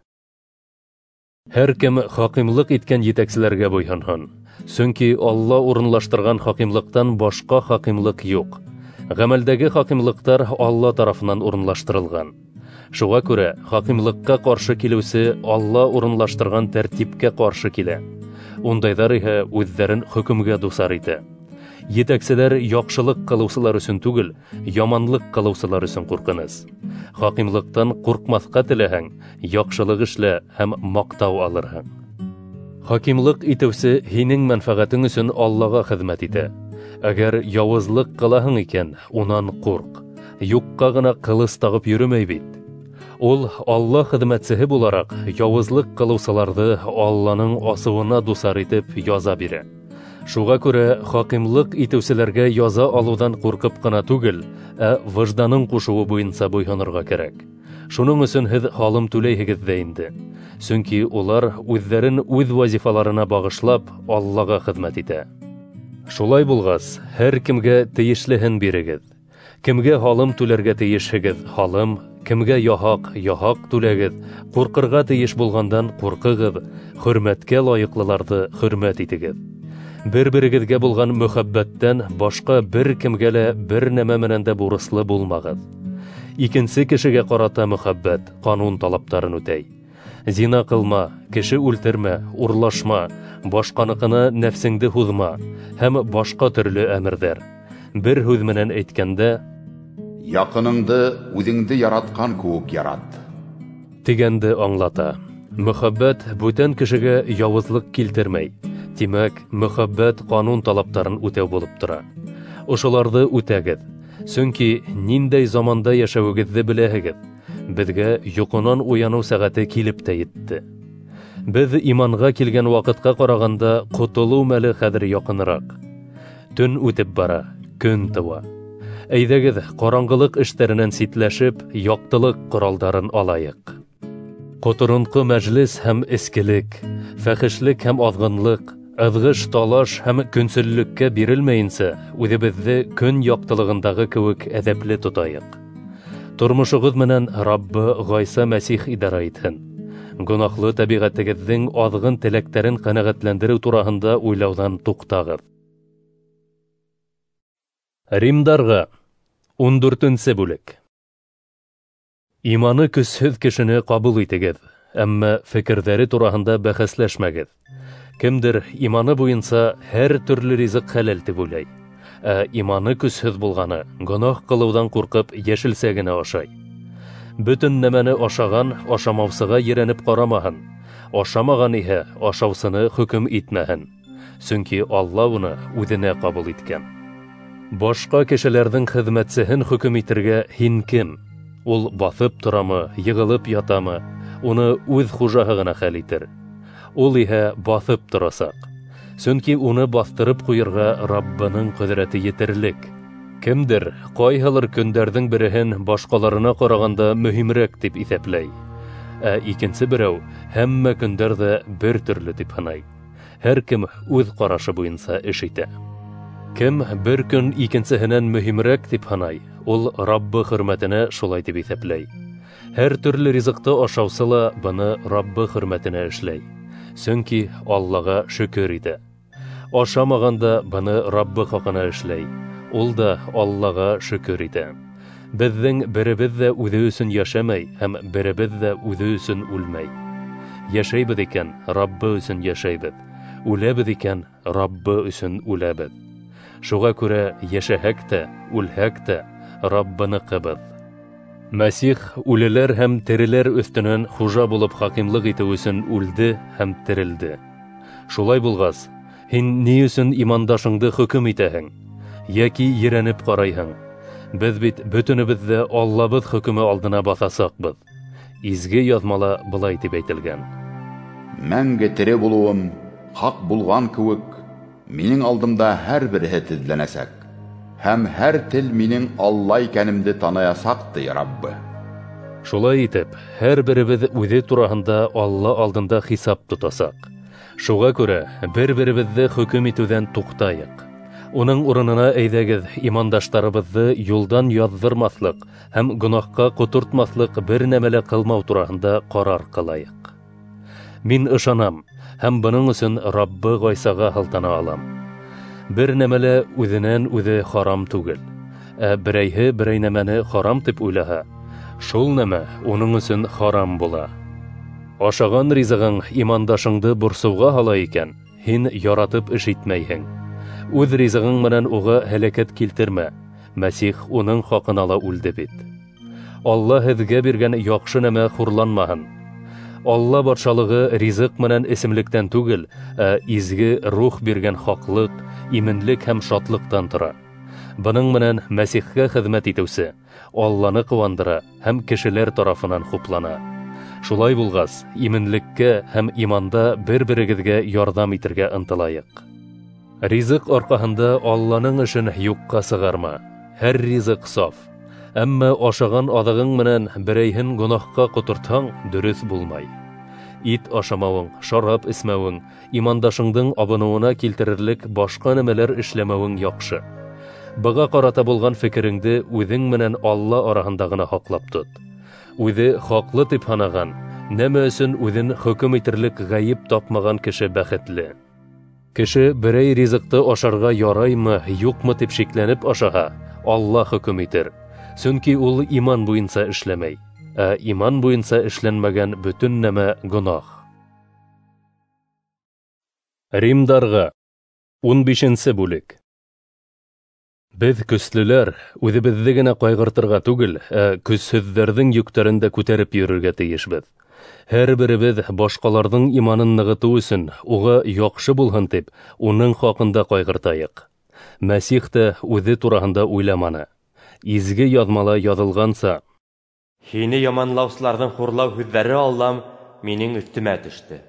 Һәр кем хакимлыҡ иткән етәкселәргә буйһонһон, сөнки Алла урынлаштырған хакимлыҡтан башҡа хакимлыҡ юҡ. Ғәмәлдәге хакимлыҡтар Алла тарафынан урынлаштырылған. Шуға күрә хакимлыҡҡа ҡаршы килеүсе Алла урынлаштырған тәртипкә ҡаршы килә. Ундайҙар иһә үҙҙәрен хөкөмгә дусар итә. Етәкселәр яҡшылыҡ ҡылыусылар өсөн түгел, яманлыҡ ҡылыусылар өсөн ҡурҡыныс. Хакимлыҡтан ҡурҡмаҫҡа теләһәң, яҡшылыҡ эшлә һәм маҡтау алырһың. Хакимлыҡ итеүсе һинең мәнфәғәтең өсөн Аллаға хеҙмәт итә. Әгәр яуызлыҡ ҡылаһың икән, унан ҡурҡ. Юҡҡа ғына ҡылыс тағып йөрөмәй бит. Ул Алла хеҙмәтсеһе булараҡ яуызлыҡ ҡылыусыларҙы Алланың асыуына дусар итеп яза бирә. Шуға күрә хакимлыҡ итеүселәргә яза алыуҙан ҡурҡып ҡына түгел, ә выжданың ҡушыуы буйынса буйһонорға кәрәк. Шуның өсөн һеҙ һалым түләйһегеҙ ҙә инде. Сөнки улар үҙҙәрен үҙ вазифаларына бағышлап Аллаға хеҙмәт итә. Шулай булғас, һәр кемгә тейешлеһен бирегеҙ. Кемгә һалым түләргә тейешһегеҙ – һалым, кемгә яһаҡ – яһаҡ түләгеҙ, ҡурҡырға тейеш булғандан ҡурҡығыҙ, хөрмәткә лайыҡлыларҙы хөрмәт итегеҙ. Бер-берегеҙгә булған мөхәббәттән башҡа бер кемгә лә бер нәмә менән дә бурыслы булмағыҙ. Икенсе кешегә ҡарата мөхәббәт ҡанун талаптарын үтәй. Зина ҡылма, кеше үлтермә, урлашма, башҡаныҡына нәфсеңде һуҙма һәм башҡа төрлө әмерҙәр. Бер һүҙ менән әйткәндә, яҡыныңды үҙеңде яратҡан кеүек ярат тигәнде аңлата. Мөхәббәт бүтән кешегә яуызлыҡ килтермәй. Тимәк, мөхәббәт ҡанун талаптарын үтәү булып тора. Ошоларҙы үтәгеҙ. Сөнки ниндәй заманда йәшәүегеҙҙе беләһегеҙ. Беҙгә йоҡонан уяныу сәғәте килеп тә етте. Беҙ иманға килгән ваҡытҡа ҡарағанда ҡотолоу мәле хәҙер яҡыныраҡ. Төн үтеп бара, көн тыуа. Әйҙәгеҙ, ҡараңғылыҡ эштәренән ситләшеп, яҡтылыҡ ҡоралдарын алайыҡ. Ҡоторонҡо мәжлес һәм эскелек, фәхешлек һәм аҙғынлыҡ, ыҙғыш, талаш һәм көнсөллөккә бирелмәйенсә, үҙебеҙҙе көн яҡтылығындағы кеүек әҙәпле тотайыҡ. Тормошоғоҙ менән Раббы Ғайса Мәсих идара итһен. Гонаһлы тәбиғәтегеҙҙең аҙғын теләктәрен ҡәнәғәтләндереү тураһында уйлауҙан туҡтағыҙ. Римдарға 14-нсе бүлек. Иманы көсһөҙ кешене ҡабул итегеҙ, әммә фекерҙәре тураһында бәхәсләшмәгеҙ. Кемдер иманы буйынса һәр төрлө ризыҡ хәләл тип уйлай, ә иманы көсһөҙ булғаны гонаһ ҡылыуҙан ҡурҡып йәшелсә генә ашай. Бөтөн нәмәне ашаған ашамаусыға ерәнеп ҡарамаһын, ашамаған иһә ашаусыны хөкөм итмәһен, сөнки Алла уны үҙенә ҡабул иткән. Башҡа кешеләрҙең хеҙмәтсеһен хөкөм итергә һин кем? Ул баҫып торамы, йығылып ятамы, уны үҙ хужаһы ғына хәл итер. Ул иһә баҫып торасаҡ, сөнки уны баҫтырып ҡуйырға Раббының ҡөҙрәте етерлек. Кемдер ҡайһылыр көндәрҙең береһен башҡаларына ҡарағанда мөһимерәк тип иҫәпләй, ә икенсе берәү һәммә көндәр ҙә бер төрлө тип һанай. Һәр кем үҙ ҡарашы буйынса эш итә. Кем бер көн икенсеһенән мөһимерәк тип һанай, ул Раббы хөрмәтенә шулай тип иҫәпләй. Һәр төрлө ризыҡты ашаусы ла быны Раббы хөрмәтенә эшләй, сөнки Аллаға шөкөр итә. Ашамаған да быны Раббы хаҡына эшләй, ул да Аллаға шөкөр итә. Беҙҙең беребеҙ ҙә үҙе өсөн йәшәмәй һәм беребеҙ ҙә үҙе өсөн үлмәй. Йәшәйбеҙ икән, Раббы өсөн йәшәйбеҙ. Үләбеҙ икән, Раббы өсөн үләбеҙ. Шуға күрә йәшәһәк тә, үлһәк тә Раббыныҡыбыҙ. Мәсих үлеләр һәм тереләр өҫтөнән хужа булып хакимлыҡ итеү өсөн үлде һәм терелде. Шулай булғас, һин ни өсөн имандашыңды хөкөм итәһең, йәки ерәнеп ҡарайһың? Беҙ бит бөтөнөбөҙ ҙә Аллабыҙ хөкөмө алдына баҫасаҡбыҙ. Изге яҙмала былай тип әйтелгән: Мәңге тере булыуым хаҡ булған кеүек, минең алдымда һәр береһе теҙләнәсәк, һәм һәр тел минең Алла икәнемде таныясаҡ, ти Раббы. Шулай итеп, һәр беребеҙ үҙе тураһында Алла алдында хисап тотасаҡ. Шуға күрә бер-беребеҙҙе хөкөм итеүҙән туҡтайыҡ. Уның урынына әйҙәгеҙ имандаштарыбыҙҙы юлдан яҙҙырмаҫлыҡ һәм гонаһҡа ҡотортмаҫлыҡ бер нәмә лә ҡылмау тураһында ҡарар ҡылайыҡ. Мин ышанам һәм бының өсөн Раббы Ғайсаға һылтана алам. Бер нәмә лә үҙенән үҙе харам түгел, ә берәйһе берәй нәмәне харам тип уйлаһа, шул нәмә уның өсөн харам була. Ашаған ризығың имандашыңды борсоуға һала икән, һин яратып эш итмәйһең. Үҙ ризығың менән уға һәләкәт килтермә, Мәсих уның хаҡына ла үлде бит. Алла һеҙгә биргән яҡшы нәмә хурланмаһын. Алла батшалығы ризыҡ менән эсемлектән түгел, ә изге рух биргән хаҡлыҡ, именлек һәм шатлыҡтан тора. Бының менән Мәсихкә хеҙмәт итеүсе Алланы ҡыуандыра һәм кешеләр тарафынан хуплана. Шулай булғас, именлеккә һәм иманда бер-берегеҙгә ярҙам итергә ынтылайыҡ. Ризыҡ арҡаһында Алланың эшен юҡҡа сығарма. Һәр ризыҡ саф. Әммә ашаған аҙығың менән берәйһен гонаһҡа ҡотортһаң, дөрөҫ булмай. Ит ашамауың, шарап эсмәүең, имандашыңдың абыныуына килтерерлек башҡа нәмәләр эшләмәүең яҡшы. Быға ҡарата булған фекереңде үҙең менән Алла араһында ғына һаҡлап тот. Үҙе хаҡлы тип һанаған, нәмә өсөн үҙен хөкөм итерлек ғәйеп тапмаған кеше бәхетле. Кеше берәй ризыҡты ашарға яраймы, юҡмы тип шикләнеп ашаһа, Алла хөкөм итер. Сөнки ул иман буйынса эшләмәй, ә иман буйынса эшләнмәгән бөтөн нәмә гонаһ. Римдарға 15 бүлек. Беҙ көслөләр үҙебеҙҙе генә ҡайғыртырға түгел, ә көсһөҙҙәрҙең йөктәрен дә күтәреп йөрөргә тейешбеҙ. Һәр беребеҙ башҡаларҙың иманын нығытыу өсөн уға яҡшы булһын тип, уның хаҡында ҡайғыртайыҡ. Мәсих тә үҙе тураһында уйламаны. Изге яҙмала яҙылғанса: Һине яманлаусыларҙың хурлау һүҙҙәре, Аллам, минең өҫтөмә төштө.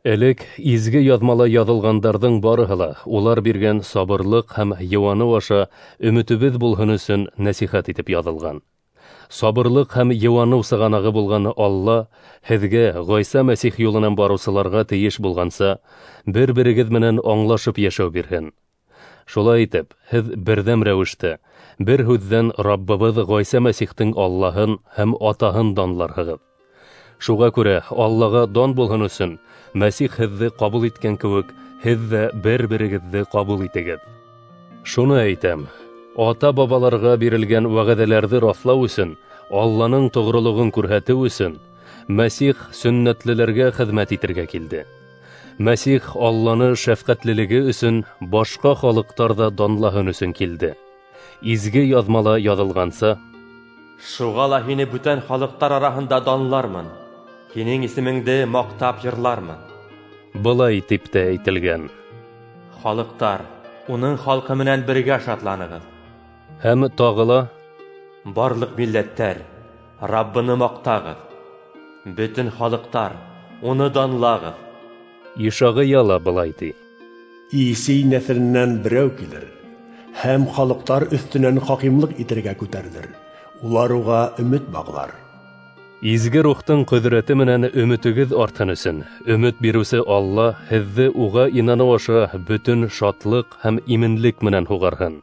Элек изге яҙмала яҙылғандарҙың барыһы ла улар биргән сабырлыҡ һәм йыуаныу аша өмөтөбөҙ булһын өсөн нәсихәт итеп яҙылған. Сабырлыҡ һәм йыуаныу сығанағы булған Алла һеҙгә Ғайса Мәсих юлынан барыусыларға тейеш булғанса, бер-берегеҙ менән аңлашып йәшәү бирһен. Шулай итеп, һеҙ берҙәм рәүештә, бер һүҙҙән Раббыбыҙ Ғайса Мәсихтең Аллаһын һәм Атаһын данларһығыҙ. Шуға күрә Аллаға дан булһын өсөн Мәсих һеҙҙе ҡабул иткән кеүек, һеҙ ҙә бер-берегеҙҙе ҡабул итегеҙ. Шуны әйтәм: ата-бабаларға бирелгән вәғәҙәләрҙе раҫлау өсөн, Алланың тоғролоғон күрһәтеү өсөн Мәсих сөннәтлеләргә хеҙмәт итергә килде. Мәсих Алланы шәфҡәтлелеге өсөн башҡа халыҡтар ҙа данлаһын өсөн килде. Изге яҙмала яҙылғанса: Шуға ла һине бүтән халыҡтар араһында данлармын, һинең исемеңде маҡтап йырлармын. Былай тип тә әйтелгән: Халыҡтар, уның халҡы менән бергә шатланығыҙ. Һәм тағы ла: Барлыҡ милләттәр, Раббыны маҡтағыҙ, бөтөн халыҡтар, уны данлағыҙ. Ишағия ла былай ти: Исей нәҫеленән берәү килер һәм халыҡтар өҫтөнән хакимлыҡ итергә күтәрелер, улар уға өмөт бағлар. Изге рухтың ҡөҙрәте менән өмөтөгөҙ артһын өсөн, өмөт биреүсе Алла һеҙҙе уға инаныу аша бөтөн шатлыҡ һәм именлек менән һуғарһын.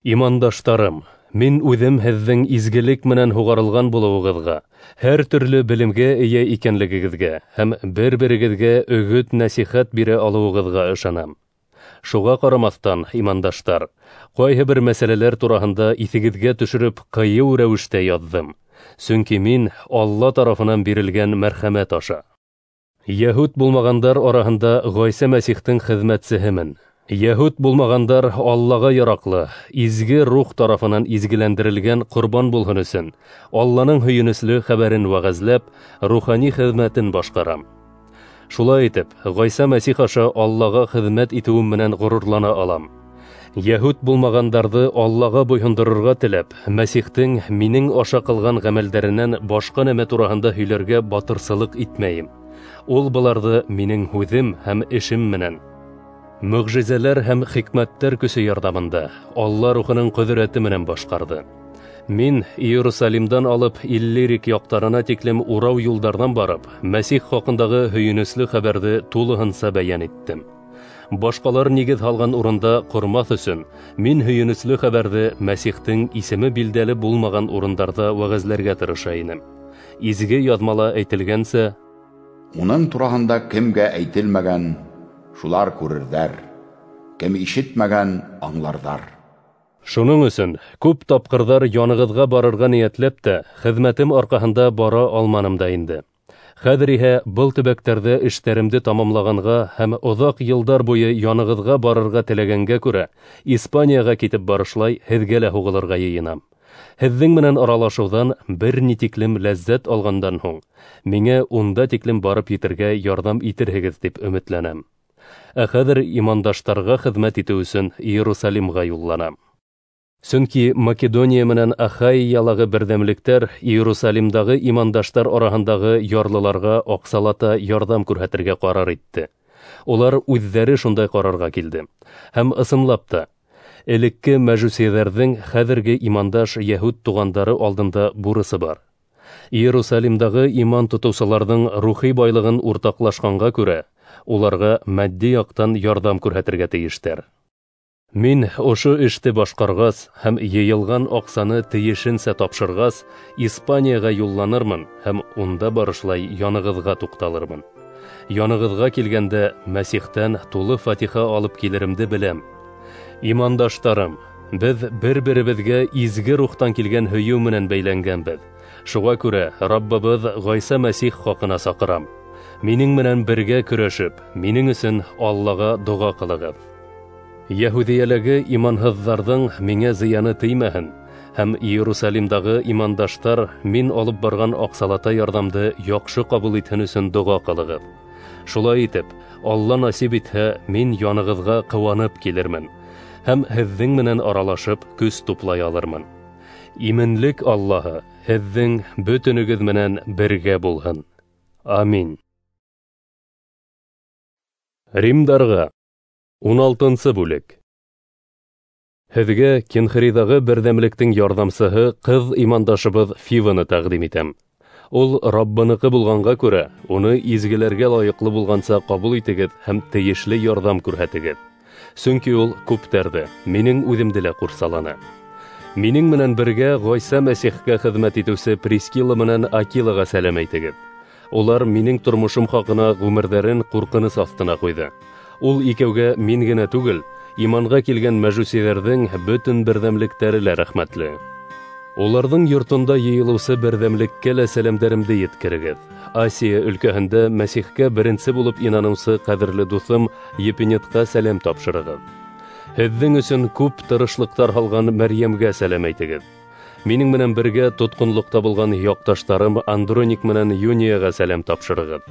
Имандаштарым, мин үҙем һеҙҙең изгелек менән һуғарылған булыуығыҙға, һәр төрлө белемгә эйә икәнлегегеҙгә һәм бер-берегеҙгә өгөт-нәсихәт бирә алыуығыҙға ышанам. Шуға ҡарамаҫтан, имандаштар, ҡайһы бер мәсьәләләр тураһында иҫегеҙгә төшөрөп ҡыйыу рәүештә яҙҙым, сөнки мин Алла тарафынан бирелгән мәрхәмәт аша Йәһүд булмағандар араһында Ғайса Мәсихтең хеҙмәтсеһемен. Йәһүд булмағандар Аллаға яраҡлы, изге рух тарафынан изгеләндерелгән ҡорбан булһын өсөн, Алланың һөйөнөслө хәбәрен вәғәзләп, рухани хеҙмәтен башҡарам. Шулай итеп, Ғайса Мәсих аша Аллаға хеҙмәт итеүем менән ғорурлана алам. Йәһүд булмағандарҙы Аллаға буйһондорорға теләп, Мәсихтең минең аша ҡылған ғәмәлдәренән башҡа нәмә тураһында һөйләргә батырсылыҡ итмәйем. Ул быларҙы минең һүҙем һәм эшем менән, мөғжизәләр һәм хикмәттәр көсө ярҙамында Алла рухының ҡөҙрәте менән башҡарҙы. Мин Иерусалимдан алып Иллирик яҡтарына тиклем урау юлдарҙан барып, Мәсих хаҡындағы һөйөнөслө хәбәрҙе тулыһынса бәйән иттем. Башҡалар нигеҙ һалған урында ҡормаҫ өсөн, мин һөйөнөслө хәбәрҙе Мәсихтең исеме билдәле булмаған урындарҙа вәғәзләргә тырыша инем. Изге яҙмала әйтелгәнсә, уның тураһында кемгә әйтелмәгән, шулар күрерҙәр, кем ишетмәгән, аңларҙар. Шуның өсөн күп тапҡырҙар янығыҙға барырға ниәтләп тә, хеҙмәтем арҡаһында бара алманым да инде. Хәҙер иһә был төбәктәрҙә эштәремде тамамлағанға һәм оҙаҡ йылдар буйы янығыҙға барырға теләгәнгә күрә, Испанияға китеп барышлай һеҙгә лә һуғылырға йыйынам. Һеҙҙең менән аралашыуҙан бер ни тиклем ләззәт алғандан һуң, миңә унда тиклем барып етергә ярҙам итерһегеҙ тип өмөтләнәм. Ә хәҙер имандаштарға хеҙмәт итеү өсөн Иерусалимға юлланам. Сөнки Македония менән Ахайялағы берҙәмлектәр Иерусалимдағы имандаштар араһындағы ярлыларға аҡсалата ярҙам күрһәтергә ҡарар итте. Улар үҙҙәре шундай ҡарарға килде. Һәм ысынлап та, элекке мәжүсиҙәрҙең хәҙерге имандаш йәһүд туғандары алдында бурысы бар. Иерусалимдағы иман тотоусыларҙың рухи байлығын уртаҡлашҡанға күрә, уларға матди яҡтан ярҙам күрһәтергә тейештәр. Мин ошо эште башҡарғас һәм йыйылған аҡсаны тейешенсә тапшырғас, Испанияға юлланырмын һәм унда барышлай янығыҙға туҡталырмын. Янығыҙға килгәндә Мәсихтән тулы фатиха алып килеремде беләм. Имандаштарым, беҙ бер-беребеҙгә изге рухтан килгән һөйөү менән бәйләнгәнбеҙ. Шуға күрә Раббыбыҙ Ғайса Мәсих хаҡына саҡырам. Минең менән бергә көрәшеп, минең өсөн Аллаға доға ҡылығыҙ. Йәһүҙиәләге иманһыҙҙарҙың миңә зыяны теймәһен, һәм Иерусалимдағы имандаштар мин алып барған аҡсалата ярҙамды яҡшы ҡабул итһен өсөн доға ҡылығыҙ. Шулай итеп, Алла насип итһә, мин янығыҙға ҡыуанып килермен һәм һеҙҙең менән аралашып көс туплай алырмын. Именлек Аллаһы һеҙҙең бөтөнөгөҙ менән бергә булһын. Амин. Римдарға 16-нсы бүлек. Һеҙгә Кенхриҙағы берҙәмлектең ярҙамсыһы ҡыҙ имандашыбыҙ Фиваны тәҡдим итәм. Ул Раббыныҡы булғанға күрә, уны изгеләргә лайыҡлы булғанса ҡабул итегеҙ һәм тейешле ярҙам күрһәтегеҙ. Сөнки ул күптәрҙе, минең үҙемде лә ҡурсаланы. Минең менән бергә Ғайса Мәсихкә хеҙмәт итеүсе Прискила менән Акилаға сәләм әйтегеҙ. Улар минең тормошом хаҡына ғүмерҙәрен ҡурҡыныс аҫтына ҡуйҙы. Ул икәүгә мин генә түгел, иманға килгән мәжүсиҙәрҙең бөтөн берҙәмлектәре лә рәхмәтле. Уларҙың йортонда йыйылыусы берҙәмлеккә лә сәләмдәремде еткерегеҙ. Асия өлкәһендә Мәсихкә беренсе булып инаныусы ҡәҙерле дуҫым Епинетҡа сәләм тапшырығыҙ. Һеҙҙең өсөн күп тырышлыҡтар һалған Мәрйәмгә сәләм әйтегеҙ. Минең менән бергә тотҡонлоҡта булған яҡташтарым Андроник менән Юнияға сәләм тапшырығыҙ.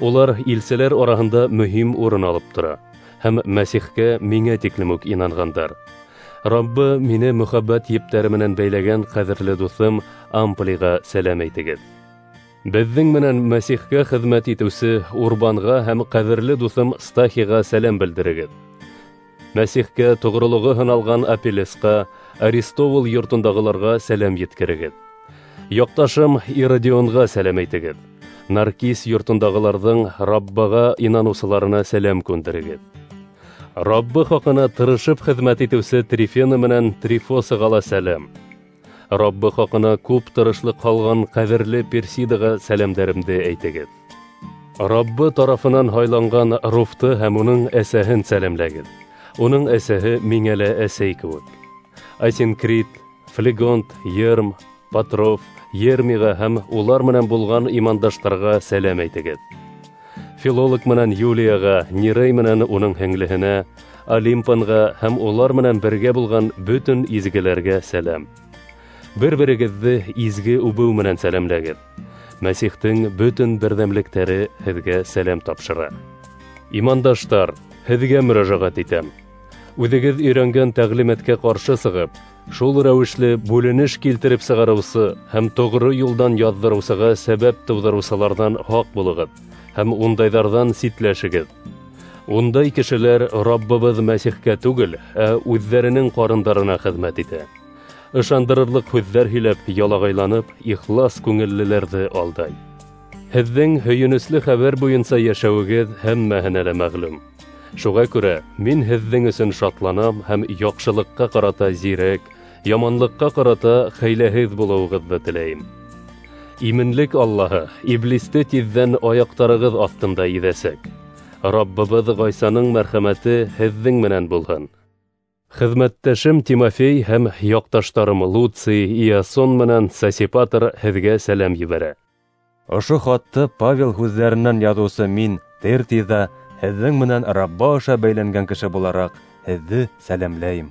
Улар илселәр араһында мөһим урын алып тора һәм Мәсихкә миңә тиклем үк инанғандар. Раббы мине мөхәббәт ептәре менән бәйләгән ҡәҙерле дуҫым Амплиға сәләм әйтегеҙ. Беҙҙең менән Мәсихкә хеҙмәт итеүсе Урбанға һәм ҡәҙерле дуҫым Стахиға сәләм белдерегеҙ. Мәсихкә тоғролоғо һыналған Апеллесҡа, Аристовул йортондағыларға сәләм еткерегеҙ. Яҡташым Иродионға сәләм әйтегеҙ. Наркис йортондағыларҙың Раббаға инаныусыларына сәләм күндерегеҙ. Раббы хаҡына тырышып хеҙмәт итеүсе Трифена менән Трифосаға ла сәләм. Раббы хаҡына күп тырышлыҡ һалған ҡәҙерле Персидаға сәләмдәремде әйтегеҙ. Раббы тарафынан һайланған Руфты һәм уның әсәһен сәләмләгеҙ. Уның әсәһе миңә лә әсәй кеүек. Асинкрит, Флегонт, Ерм, Патров, Ермиға һәм улар менән булған имандаштарға сәләм әйтегеҙ. Филолог менән Юлияға, Нерей менән уның һеңлеһенә, Олимпанға һәм улар менән бергә булған бөтөн изгеләргә сәләм. Бер-берегеҙҙе изге үбеү менән сәләмләгеҙ. Мәсихтең бөтөн берҙәмлектәре һеҙгә сәләм тапшыра. Имандаштар, һеҙгә мөрәжәғәт итәм. Үҙегеҙ өйрәнгән тәғлимәткә ҡаршы сығып, шул рәүешле бүленеш килтереп сығарыусы һәм тоғро юлдан яҙҙырыусыға сәбәп тыуҙырыусыларҙан һаҡ булығыҙ һәм ундайҙарҙан ситләшегеҙ. Ундай кешеләр Раббыбыҙ Мәсихкә түгел, ә үҙҙәренең ҡарындарына хеҙмәт итә. Ышандырырлыҡ һүҙҙәр һөйләп, ялағайланып, ихлас күңеллеләрҙе алдай. Һеҙҙең һөйөнөслө хәбәр буйынса йәшәүегеҙ һәммәһенә лә мәғлүм. Шуға күрә мин һеҙҙең өсөн шатланам һәм яҡшылыҡҡа ҡарата зирәк, яманлыҡҡа ҡарата хәйләһеҙ булыуығыҙҙы теләйем. Именлек Аллаһы иблисте тиҙҙән аяҡтарығыҙ аҫтында иҙәсәк. Раббыбыҙ Ғайсаның мәрхәмәте һеҙҙең менән булһын. Хеҙмәттәшем Тимофей һәм яҡташтарым Луций, Иасон менән Сосипатр һеҙгә сәләм ебәрә. Ошо хатты Павел һүҙҙәренән яҙыусы мин, Тертий ҙа, һеҙҙең менән Рабба аша бәйләнгән кеше булараҡ, һеҙҙе сәләмләйем.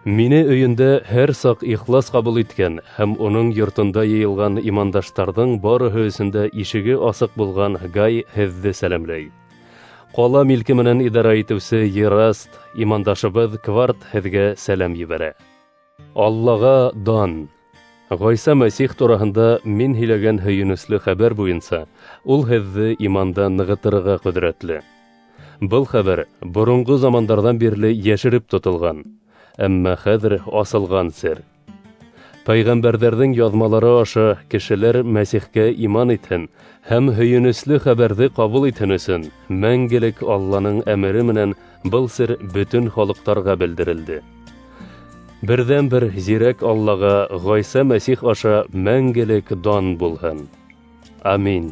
Мине өйөндә һәр саҡ ихлас ҡабул иткән һәм уның йортонда йыйылған имандаштарҙың барыһы өсөн дә ишеге асыҡ булған Гай һеҙҙе сәләмләй. Ҡала милке менән идара итеүсе Ераст, имандашыбыҙ Кварт һеҙгә сәләм ебәрә. Аллаға дан! Ғайса Мәсих тураһында мин һөйләгән һөйөнөслө хәбәр буйынса ул һеҙҙе иманда нығытырға ҡөҙрәтле. Был хәбәр боронғо замандарҙан бирле йәшереп тотолған, әммә хәҙер асылған сер. Пәйғәмбәрҙәрҙең яҙмалары аша кешеләр Мәсихкә иман итһен һәм һөйөнөслө хәбәрҙе ҡабул итһен өсөн мәңгелек Алланың әмере менән был сер бөтөн халыҡтарға белдерелде. Берҙән-бер зирәк Аллаға Ғайса Мәсих аша мәңгелек дан булһын. Амин.